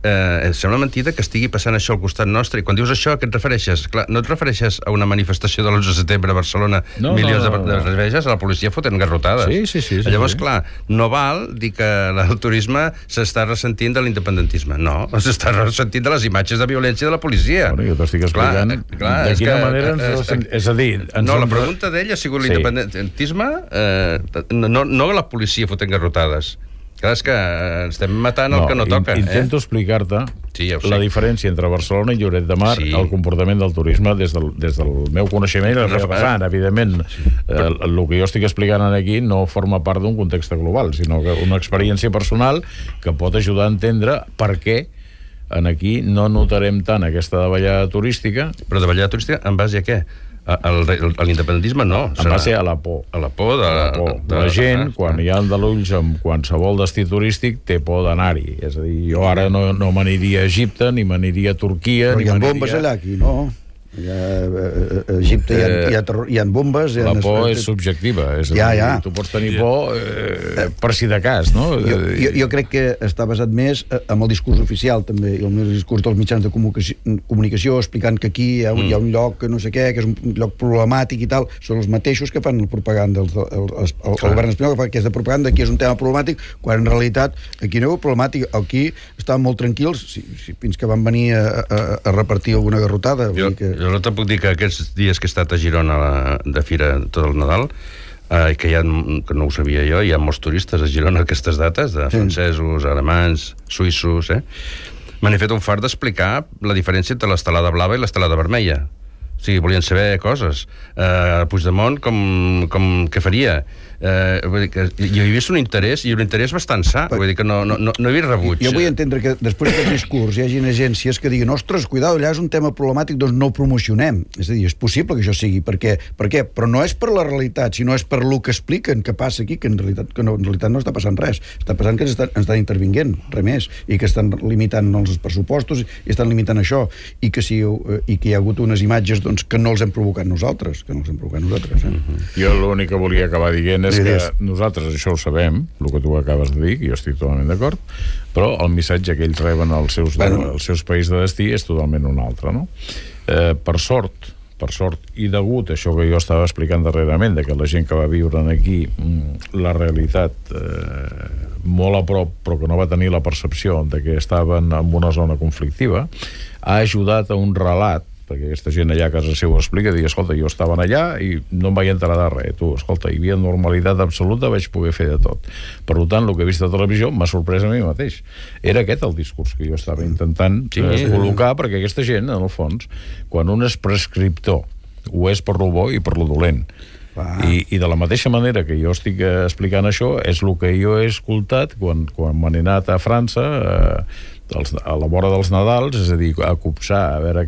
sembla mentida que estigui passant això al costat nostre, i quan dius això, a què et refereixes? Clar, no et refereixes a una manifestació de l'11 de setembre a Barcelona, milions de refereixes a la policia fotent garrotades. Sí. Llavors, clar, no val dir que el turisme s'està ressentint de l'independentisme. No, s'està ressentint de les imatges de violència de la policia. Bueno, jo t'estic explicant de quina manera és a dir... No, la pregunta d'ell ha sigut l'independentisme, no la policia fotent garrotades. Clar, és que estem matant el que no toca. Intento explicar-te la diferència entre Barcelona i Lloret de Mar, el comportament del turisme des del meu coneixement i la meva vessant. Evidentment, el que jo estic explicant aquí no forma part d'un context global, sinó que una experiència personal que pot ajudar a entendre per què aquí no notarem tant aquesta davallada turística. Però davallada turística en base a què? A l'independentisme no. En base a la por. A la por de la gent, quan hi ha aldarulls amb qualsevol destí turístic, té por d'anar-hi. És a dir, jo ara no m'aniria a Egipte, ni m'aniria a Turquia... Però hi ha bombes allà, aquí, no? A Egipte hi ha bombes... La por és subjectiva, és a dir, tu pots tenir por per si de cas, no? Jo crec que està basat més amb el discurs oficial, també, i el discurs dels mitjans de comunicació, explicant que aquí hi ha un lloc que no sé què, que és un lloc problemàtic i tal, són els mateixos que fan la propaganda, el govern espanyol que fa aquesta propaganda, aquí és un tema problemàtic, quan en realitat aquí no hi ha problemàtic, aquí estaven molt tranquils, fins que van venir a repartir alguna garrotada. Jo no te puc dir que aquests dies que he estat a Girona de fira tot el Nadal, que no ho sabia jo, hi ha molts turistes a Girona aquestes dates, de francesos, alemanys, suïssos, m'han fet un fart d'explicar la diferència entre l'estelada blava i l'estelada vermella. O sigui, volien saber coses. Puigdemont, què faria? Vull dir que hi havia vist un interès, i un interès bastant sa. Vull dir que no hi havia rebuig. Jo vull entendre que després d'aquest discurs hi hagi agències que diguin, ostres, cuidado, allà és un tema problemàtic, doncs no ho promocionem. És a dir, és possible que això sigui. Per què? Però no és per la realitat, sinó és per lo que expliquen que passa aquí, que en realitat no està passant res. Està passant que estan intervinguent, res més, i que estan limitant els pressupostos, i estan limitant això, i que hi ha hagut unes imatges que no els hem provocat nosaltres. Jo l'únic que volia acabar dient és que nosaltres això ho sabem, el que tu acabes de dir, jo estic totalment d'acord, però el missatge que ells reben als seus països de destí és totalment un altre, no? Per sort, i degut a això que jo estava explicant darrerament, de que la gent que va viure aquí la realitat molt a prop, però que no va tenir la percepció de que estaven en una zona conflictiva, ha ajudat a un relat, perquè aquesta gent allà a casa seu explica, diu, escolta, jo estava allà i no em vaig enterar de res, escolta, hi havia normalitat absoluta, vaig poder fer de tot. Per tant, el que he vist a televisió m'ha sorprès a mi mateix. Era aquest el discurs que jo estava intentant col·locar, perquè aquesta gent, en el fons, quan un és prescriptor, ho és per lo bo i per lo dolent. I de la mateixa manera que jo estic explicant això, és el que jo he escoltat quan m'han anat a França a la vora dels Nadals, és a dir, a copsar, a veure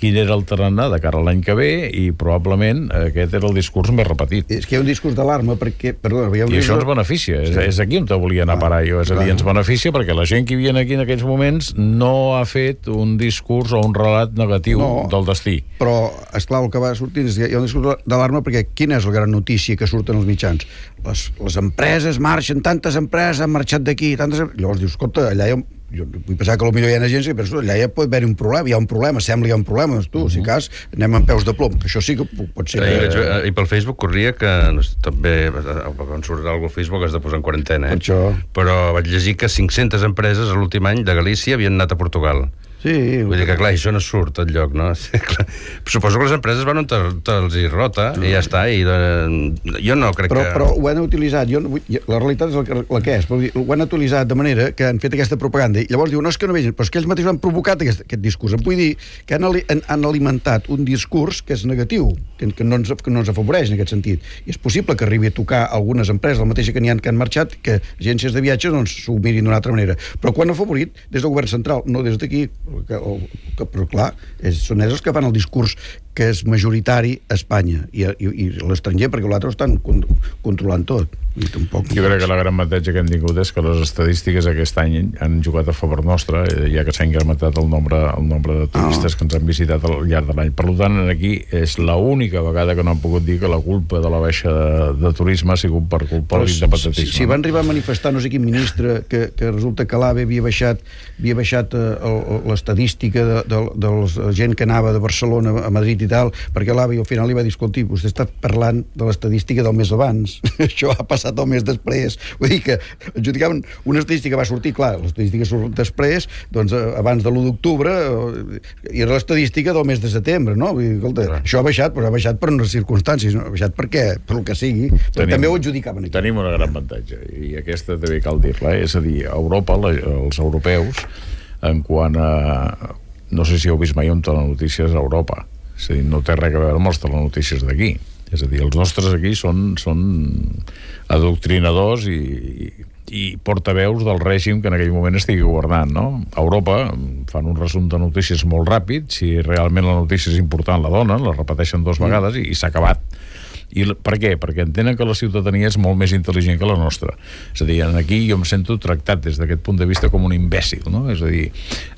quin era el tarannà de cara a l'any que ve, i probablement aquest era el discurs més repetit. És que hi ha un discurs d'alarma perquè... I això ens beneficia, és aquí on te volia anar a parar jo, és a dir, ens beneficia perquè la gent que hi havia aquí en aquells moments no ha fet un discurs o un relat negatiu del destí. Però, esclar, el que va sortir és que hi ha un discurs d'alarma perquè quina és la gran notícia que surten els mitjans? Les empreses marxen, tantes empreses han marxat d'aquí, llavors dius, escolta, allà jo vull pensar que potser hi ha agència, però allà ja pot haver un problema, hi ha un problema, sembla que hi ha un problema, si cas anem amb peus de plom, que això sí que pot ser I pel Facebook corria que també, quan surt alguna al Facebook has de posar en quarantena, però vaig llegir que 500 empreses l'últim any de Galícia havien anat a Portugal. Vull dir que, clar, això no surt enlloc, no? Suposo que les empreses van on te'ls hi rota i ja està, i jo no crec que... Però ho han utilitzat, la realitat és la que és, ho han utilitzat de manera que han fet aquesta propaganda, i llavors diuen, no, és que no vegin, però és que ells mateixos han provocat aquest discurs. Vull dir que han alimentat un discurs que és negatiu, que no ens afavoreix en aquest sentit. I és possible que arribi a tocar algunes empreses, la mateixa que n'hi ha que han marxat, que agències de viatges s'ho mirin d'una altra manera. Però quan ha afavorit, des del govern central, no des d'aquí, però clar, són ells els que fan el discurs que és majoritari a Espanya i l'estranger, perquè l'altre ho estan controlant tot. I tampoc... Jo crec que la gran avantatge que hem tingut és que les estadístiques aquest any han jugat a favor nostre, ja que s'ha incrementat el nombre de turistes que ens han visitat al llarg de l'any. Per tant, aquí és l'única vegada que no han pogut dir que la culpa de la baixa de turisme ha sigut per culpa de l'independentisme. Si van arribar a manifestar no sé quin ministre que resulta que l'AVE havia baixat l'estadística de la gent que anava de Barcelona a Madrid i tal, perquè l'AVE al final li va dir, escolti, vostè està parlant de l'estadística del mes abans. Això ha passat el mes després. Vull dir que adjudicaven una estadística, va sortir, clar, l'estadística surt després, doncs abans de l'1 d'octubre, i era l'estadística del mes de setembre, no? Vull dir, escolta, això ha baixat, però ha baixat per unes circumstàncies, no ha baixat per què? Per el que sigui. També ho adjudicaven aquí. Tenim una gran avantatge, i aquesta també cal dir-la, és a dir, a Europa, els europeus, en quant a... No sé si heu vist mai un telenotícies a Europa. És a dir, no té res a veure amb els telenotícies d'aquí. És a dir, els nostres aquí són adoctrinadors i portaveus del règim que en aquell moment estigui governant, no? A Europa fan un resum de notícies molt ràpid, si realment la notícia és important la donen, la repeteixen 2 vegades i s'ha acabat. I per què? Perquè entenen que la ciutadania és molt més intel·ligent que la nostra. És a dir, aquí jo em sento tractat des d'aquest punt de vista com un imbècil, no? És a dir,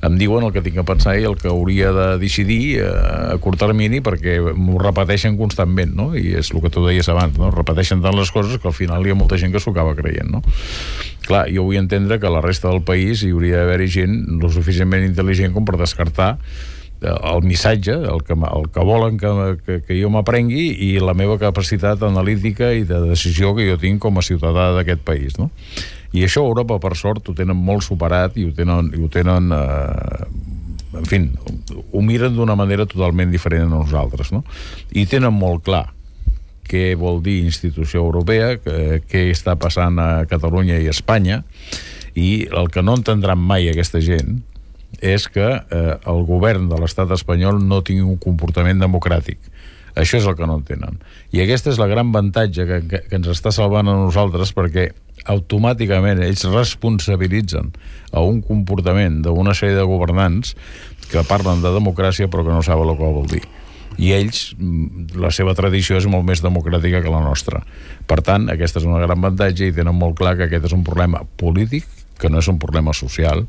em diuen el que tinc a pensar i el que hauria de decidir a curt termini, perquè m'ho repeteixen constantment, no? I és el que tu deies abans, no? Repeteixen tant les coses que al final hi ha molta gent que s'ho acaba creient, no? Clar, jo vull entendre que a la resta del país hi hauria d'haver gent lo suficientment intel·ligent com per descartar el missatge, el que volen que jo m'aprengui i la meva capacitat analítica i de decisió que jo tinc com a ciutadà d'aquest país, no? I això a Europa, per sort, ho tenen molt superat i ho tenen en fi, ho miren d'una manera totalment diferent a nosaltres, no? I tenen molt clar què vol dir institució europea, què està passant a Catalunya i a Espanya, i el que no entendran mai aquesta gent és que el govern de l'estat espanyol no tingui un comportament democràtic. Això és el que no entenen. I aquesta és la gran avantatge que ens està salvant a nosaltres, perquè automàticament ells responsabilitzen a un comportament d'una sèrie de governants que parlen de democràcia però que no saben el que vol dir. I ells, la seva tradició és molt més democràtica que la nostra. Per tant, aquesta és una gran avantatge i tenen molt clar que aquest és un problema polític, que no és un problema social,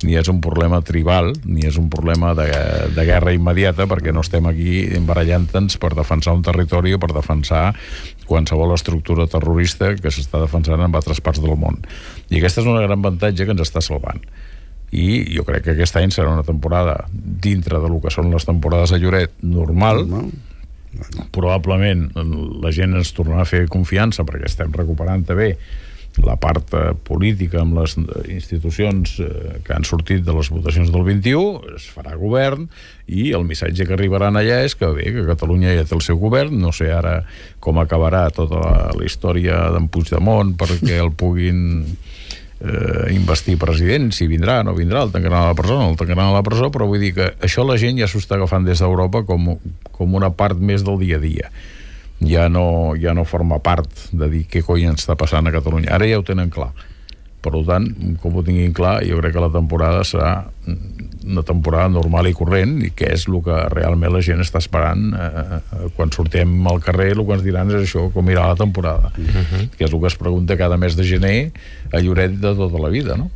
ni és un problema tribal, ni és un problema de guerra immediata, perquè no estem aquí embarallant-nos per defensar un territori o per defensar qualsevol estructura terrorista que s'està defensant en altres parts del món. I aquesta és una gran avantatge que ens està salvant. I jo crec que aquest any serà una temporada dintre de lo que són les temporades a Lloret normal. Probablement la gent ens tornarà a fer confiança perquè estem recuperant també la part política amb les institucions que han sortit de les votacions del 21, es farà govern i el missatge que arribaran allà és que bé, que Catalunya ja té el seu govern, no sé ara com acabarà tota la història d'en Puigdemont perquè el puguin investir president, si vindrà, no vindrà, el tancaran a la presó, no el tancaran a la presó, però vull dir que això la gent ja s'ho està agafant des d'Europa com una part més del dia a dia. Ja no forma part de dir què cony ens està passant a Catalunya. Ara ja ho tenen clar. Per tant, com ho tinguin clar, jo crec que la temporada serà una temporada normal i corrent, i que és el que realment la gent està esperant. Quan sortim al carrer, el que ens diran és això, com irà la temporada. Que és el que es pregunta cada mes de gener a Lloret de tota la vida, no?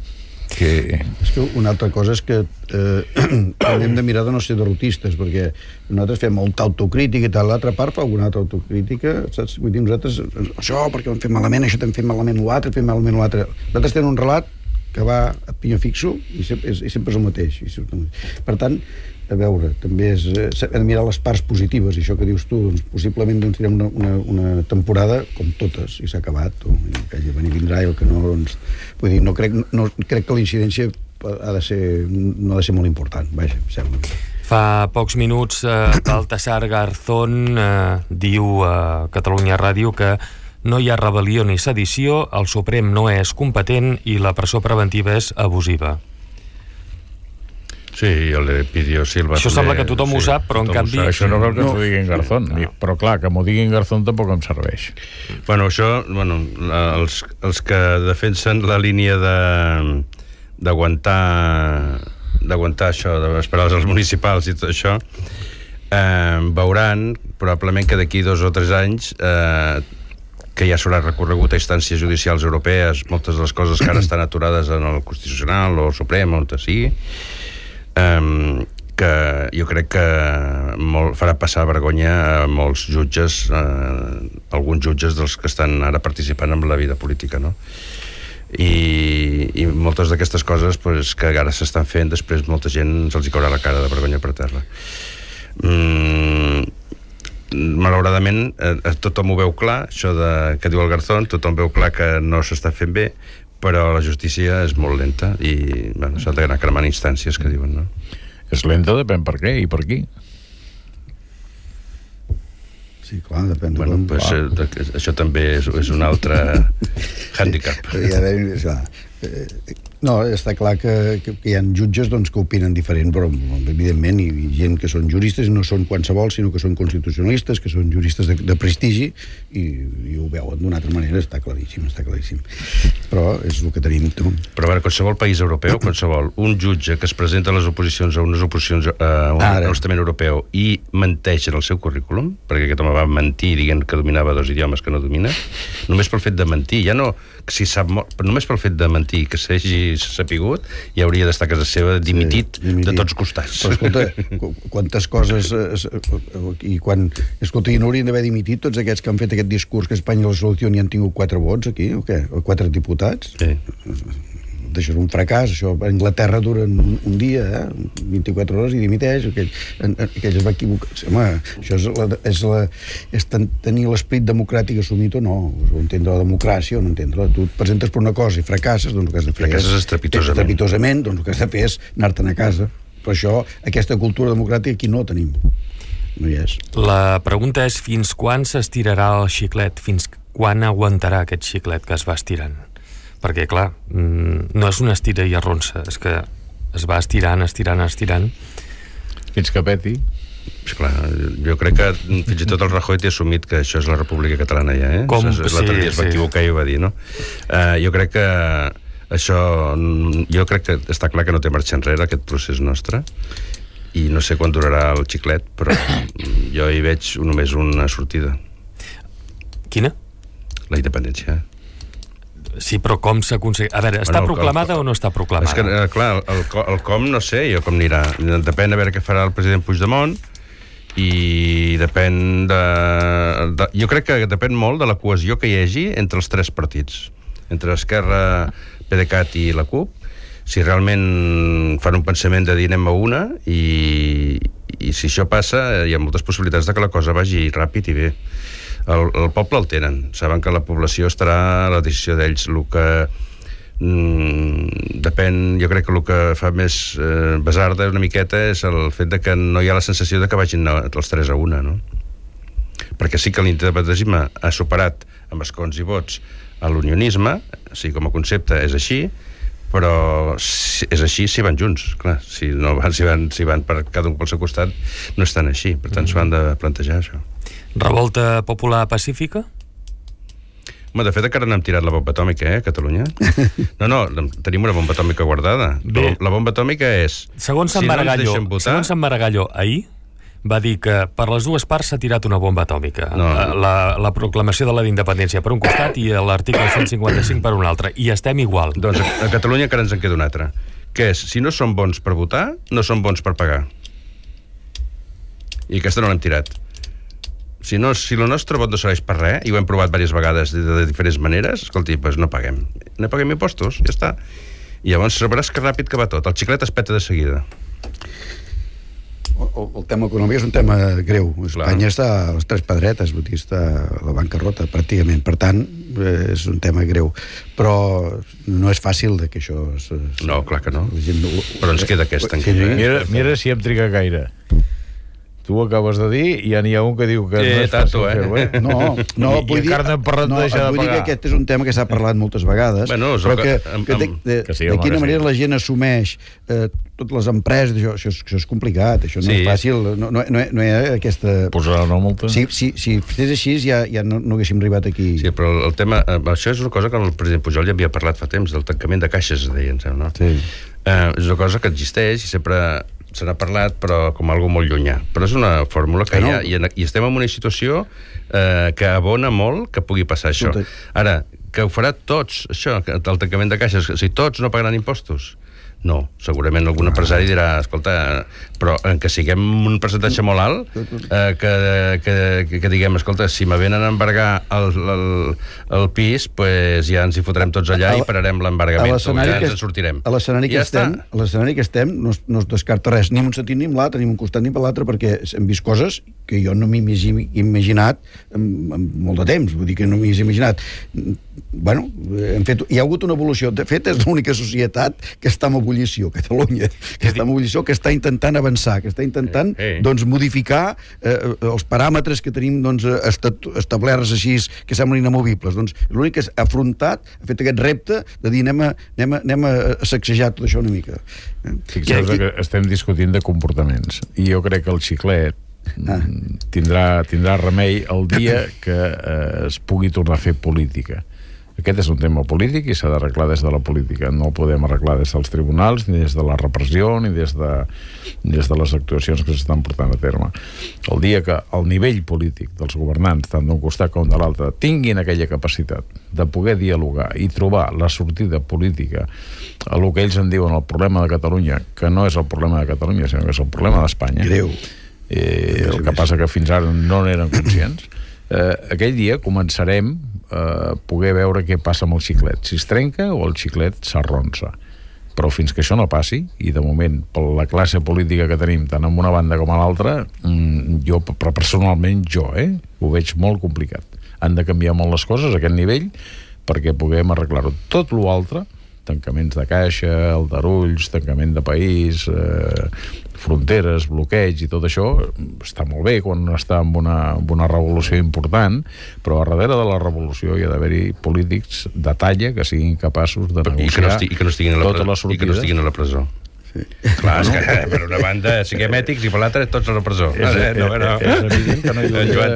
És que una altra cosa és que hem de mirar de no ser derrotistes, perquè nosaltres fem molta autocrítica i tal, l'altra part fa alguna altra autocrítica, saps? Vull dir, nosaltres, això perquè ho hem fet malament, això hem fet malament l'altre, fem malament l'altre. Nosaltres tenim un relat que va a pinyó fixo i sempre és el mateix. Per tant, a veure, també hem de mirar les parts positives, i això que dius tu, doncs possiblement tindrem una temporada com totes, i s'ha acabat, o que venir vindrà i el que no, doncs, vull dir, no crec que la incidència no ha de ser molt important, vaja, sembla. Fa pocs minuts Baltasar Garzón diu a Catalunya Ràdio que no hi ha rebel·lió ni sedició, el Suprem no és competent i la presó preventiva és abusiva. Sí, el Pidio Silva. Això sembla que tothom ho sap, però en canvi... Això no cal que ens ho diguin Garzón, però clar, que m'ho diguin Garzón tampoc em serveix. Bueno, això, els que defensen la línia d'aguantar això, d'esperar els municipals i tot això, veuran probablement que d'aquí 2 o 3 anys que ja s'haurà recorregut a instàncies judicials europees moltes de les coses que ara estan aturades en el Constitucional o el Suprem, on sigui, que jo crec que farà passar vergonya a molts jutges, alguns jutges dels que estan ara participant en la vida política, no? I moltes d'aquestes coses pues, que ara s'estan fent, després molta gent se'ls hi caurà la cara de vergonya per terra. Malauradament tothom ho veu clar, això que diu el Garzón, tothom veu clar que no s'està fent bé, però la justícia és molt lenta i s'ha d'anar cremant instàncies que diuen, no? És lenta, depèn per què i per qui. Sí, clar, depèn de això també és un altre hàndicap. No, està clar que hi ha jutges doncs, que opinen diferent, però evidentment hi ha gent que són juristes i no són qualsevol, sinó que són constitucionalistes, que són juristes de prestigi i ho veuen d'una altra manera, està claríssim. Però és el que tenim. Però a veure, qualsevol país europeu, un jutge que es presenta a les oposicions a unes oposicions a un Parlament Europeu i menteix en el seu currículum, perquè aquest home va mentir dient que dominava 2 idiomes que no domina, només pel fet de mentir, ja no si sap molt, però només pel fet de mentir que s'hagi sapigut, ja hauria d'estar a casa seva dimitit de tots costats. Però escolta, quantes coses i quan, escolta, i no haurien d'haver dimitit tots aquests que han fet aquest discurs que a Espanya la solució n'hi han tingut 4 vots aquí, o què? O 4 diputats? Sí. Això és un fracàs, això a Anglaterra dura un dia, 24 hores i dimiteix, aquell es va equivocar. Home, això és tenir l'esperit democràtic assumit o no, o entendre la democràcia o no entendre-la. Tu et presentes per una cosa i fracasses, doncs el que has de fer estrepitosament, doncs el que has de fer és anar-te'n a casa. Per això, aquesta cultura democràtica aquí no la tenim. No hi és. La pregunta és fins quan s'estirarà el xiclet, fins quan aguantarà aquest xiclet que es va estirant? Perquè, clar, no és una estira i arronsa, és que es va estirant fins que peti. Clar, jo crec que fins i tot el Rajoy té assumit que això és la República Catalana ja, l'altre dia es va equivocar i ho va dir, no? Jo crec que està clar que no té marxa enrere aquest procés nostre i no sé quan durarà el xiclet, però jo hi veig només una sortida. Quina? La independència. Sí, però com s'aconsegueix? A veure, està proclamada o no està proclamada? És que, clar, el com no sé jo com anirà. Depèn a veure què farà el president Puigdemont i depèn jo crec que depèn molt de la cohesió que hi hagi entre els 3 partits. Entre Esquerra, PDeCAT i la CUP. Si realment fan un pensament de dir anem a una i si això passa hi ha moltes possibilitats de que la cosa vagi ràpid i bé. El poble el tenen, saben que la població estarà a la decisió d'ells. El que depèn, jo crec que el que fa més basarda una miqueta és el fet de que no hi ha la sensació de que vagin els 3 a una, no? Perquè sí que l'independentisme ha superat amb escons i vots a l'unionisme, o sigui, com a concepte és així, però és així si van junts, clar, si van per cada un pel seu costat no estan així, per tant s'ho han de plantejar això. Revolta popular pacífica? Home, de fet encara no hem tirat la bomba atòmica, a Catalunya. No, tenim una bomba atòmica guardada. Bé, la bomba atòmica és... Segons Sant Maragall ahir va dir que per les 2 parts s'ha tirat una bomba atòmica. No. La proclamació de la d'independència per un costat i l'article 155 per un altre. I estem igual. Doncs a Catalunya encara ens en queda un altre, que és, si no són bons per votar, no són bons per pagar. I aquesta no l'hem tirat. Si el nostre vot no serveix per res, i ho hem provat diverses vegades de diferents maneres, escolti, doncs no paguem impostos, ja està. I llavors sabràs que ràpid que va tot. El xiclet es peta de seguida. El tema econòmic és un tema greu. Espanya està a les 3 pedretes, està a la bancarrota, pràcticament. Per tant, és un tema greu. Però no és fàcil que això... No, clar que no. Però ens queda aquesta encara. Mira si hem trigat gaire. Tu ho acabes de dir i ja n'hi ha un que diu que no és fàcil fer-ho, No, vull dir que aquest és un tema que s'ha parlat moltes vegades, però que de quina manera la gent assumeix totes les empreses, això és complicat, això no és fàcil, no hi ha aquesta... Posarà una multa? Si fes així ja no haguéssim arribat aquí. Sí, però el tema... Això és una cosa que el president Pujol ja havia parlat fa temps, del tancament de caixes, deien, no? Sí. És una cosa que existeix i sempre se n'ha parlat, però com algo molt llunyà. Però és una fórmula que hi ha, i estem en una situació que abona molt que pugui passar això. Ara, que ho farà tots, això, el tancament de caixes, si tots no pagaran impostos? No, segurament algun empresari dirà, escolta, però en que siguem un percentatge molt alt, que diguem, escolta, si me venen a embargar el pis, pues ja ens hi fotrem tots allà i pararem l'embargament, ja ens en sortirem. A l'escenari que estem no es descarta res, ni un sentit ni amb l'altre, ni un costat ni per l'altre, perquè hem vist coses que jo no m'he imaginat en molt de temps, vull dir que no m'he imaginat. Bueno, hi ha hagut una evolució. De fet, és l'única societat que està en ebullició, Catalunya, que està en ebullició, que està intentant avançar, que està intentant doncs, modificar els paràmetres que tenim doncs, establerts així, que semblen inamovibles. Doncs l'únic que ha afrontat, ha fet aquest repte de dir anem a sacsejar tot això una mica. Fixeu-vos que estem discutint de comportaments, i jo crec que el xiclet tindrà remei el dia que es pugui tornar a fer política. Aquest és un tema polític i s'ha d'arreglar des de la política. No el podem arreglar des dels tribunals, ni des de la repressió, ni des de les actuacions que s'estan portant a terme. El dia que el nivell polític dels governants, tant d'un costat com de l'altre, tinguin aquella capacitat de poder dialogar i trobar la sortida política a el que ells en diuen el problema de Catalunya, que no és el problema de Catalunya, sinó que és el problema d'Espanya. Greu. El que passa que fins ara no n'eren conscients. Aquell dia començarem a poder veure què passa amb el xiclet, si es trenca o el xiclet s'arronsa. Però fins que això no passi, i de moment per la classe política que tenim tant en una banda com a l'altra, jo personalment ho veig molt complicat. Han de canviar molt les coses a aquest nivell perquè puguem arreglar-ho. Tot l'altre, tancaments de caixa, aldarulls, tancament de país, fronteres, bloqueig i tot això, està molt bé quan està en una revolució important, però a darrere de la revolució hi ha d'haver-hi polítics de talla que siguin capaços de negociar totes les sortides. I que no estiguin a la presó. Sí. Clar, és que per una banda siguem ètics i per l'altra tots a la presó. És evident que no hi hauria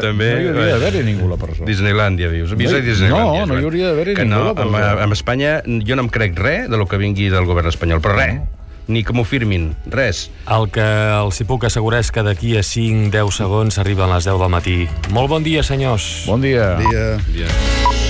d'haver-hi ningú a la presó. Disneylàndia, dius. No hi hauria d'haver-hi ningú a la presó. En Espanya jo no em crec res de lo que vingui del govern espanyol, però res. Ni que m'ho firmin, res. El que els hi puc assegurar és que d'aquí a 5-10 segons arriben les 10 del matí. Molt bon dia, senyors. Bon dia. Bon dia.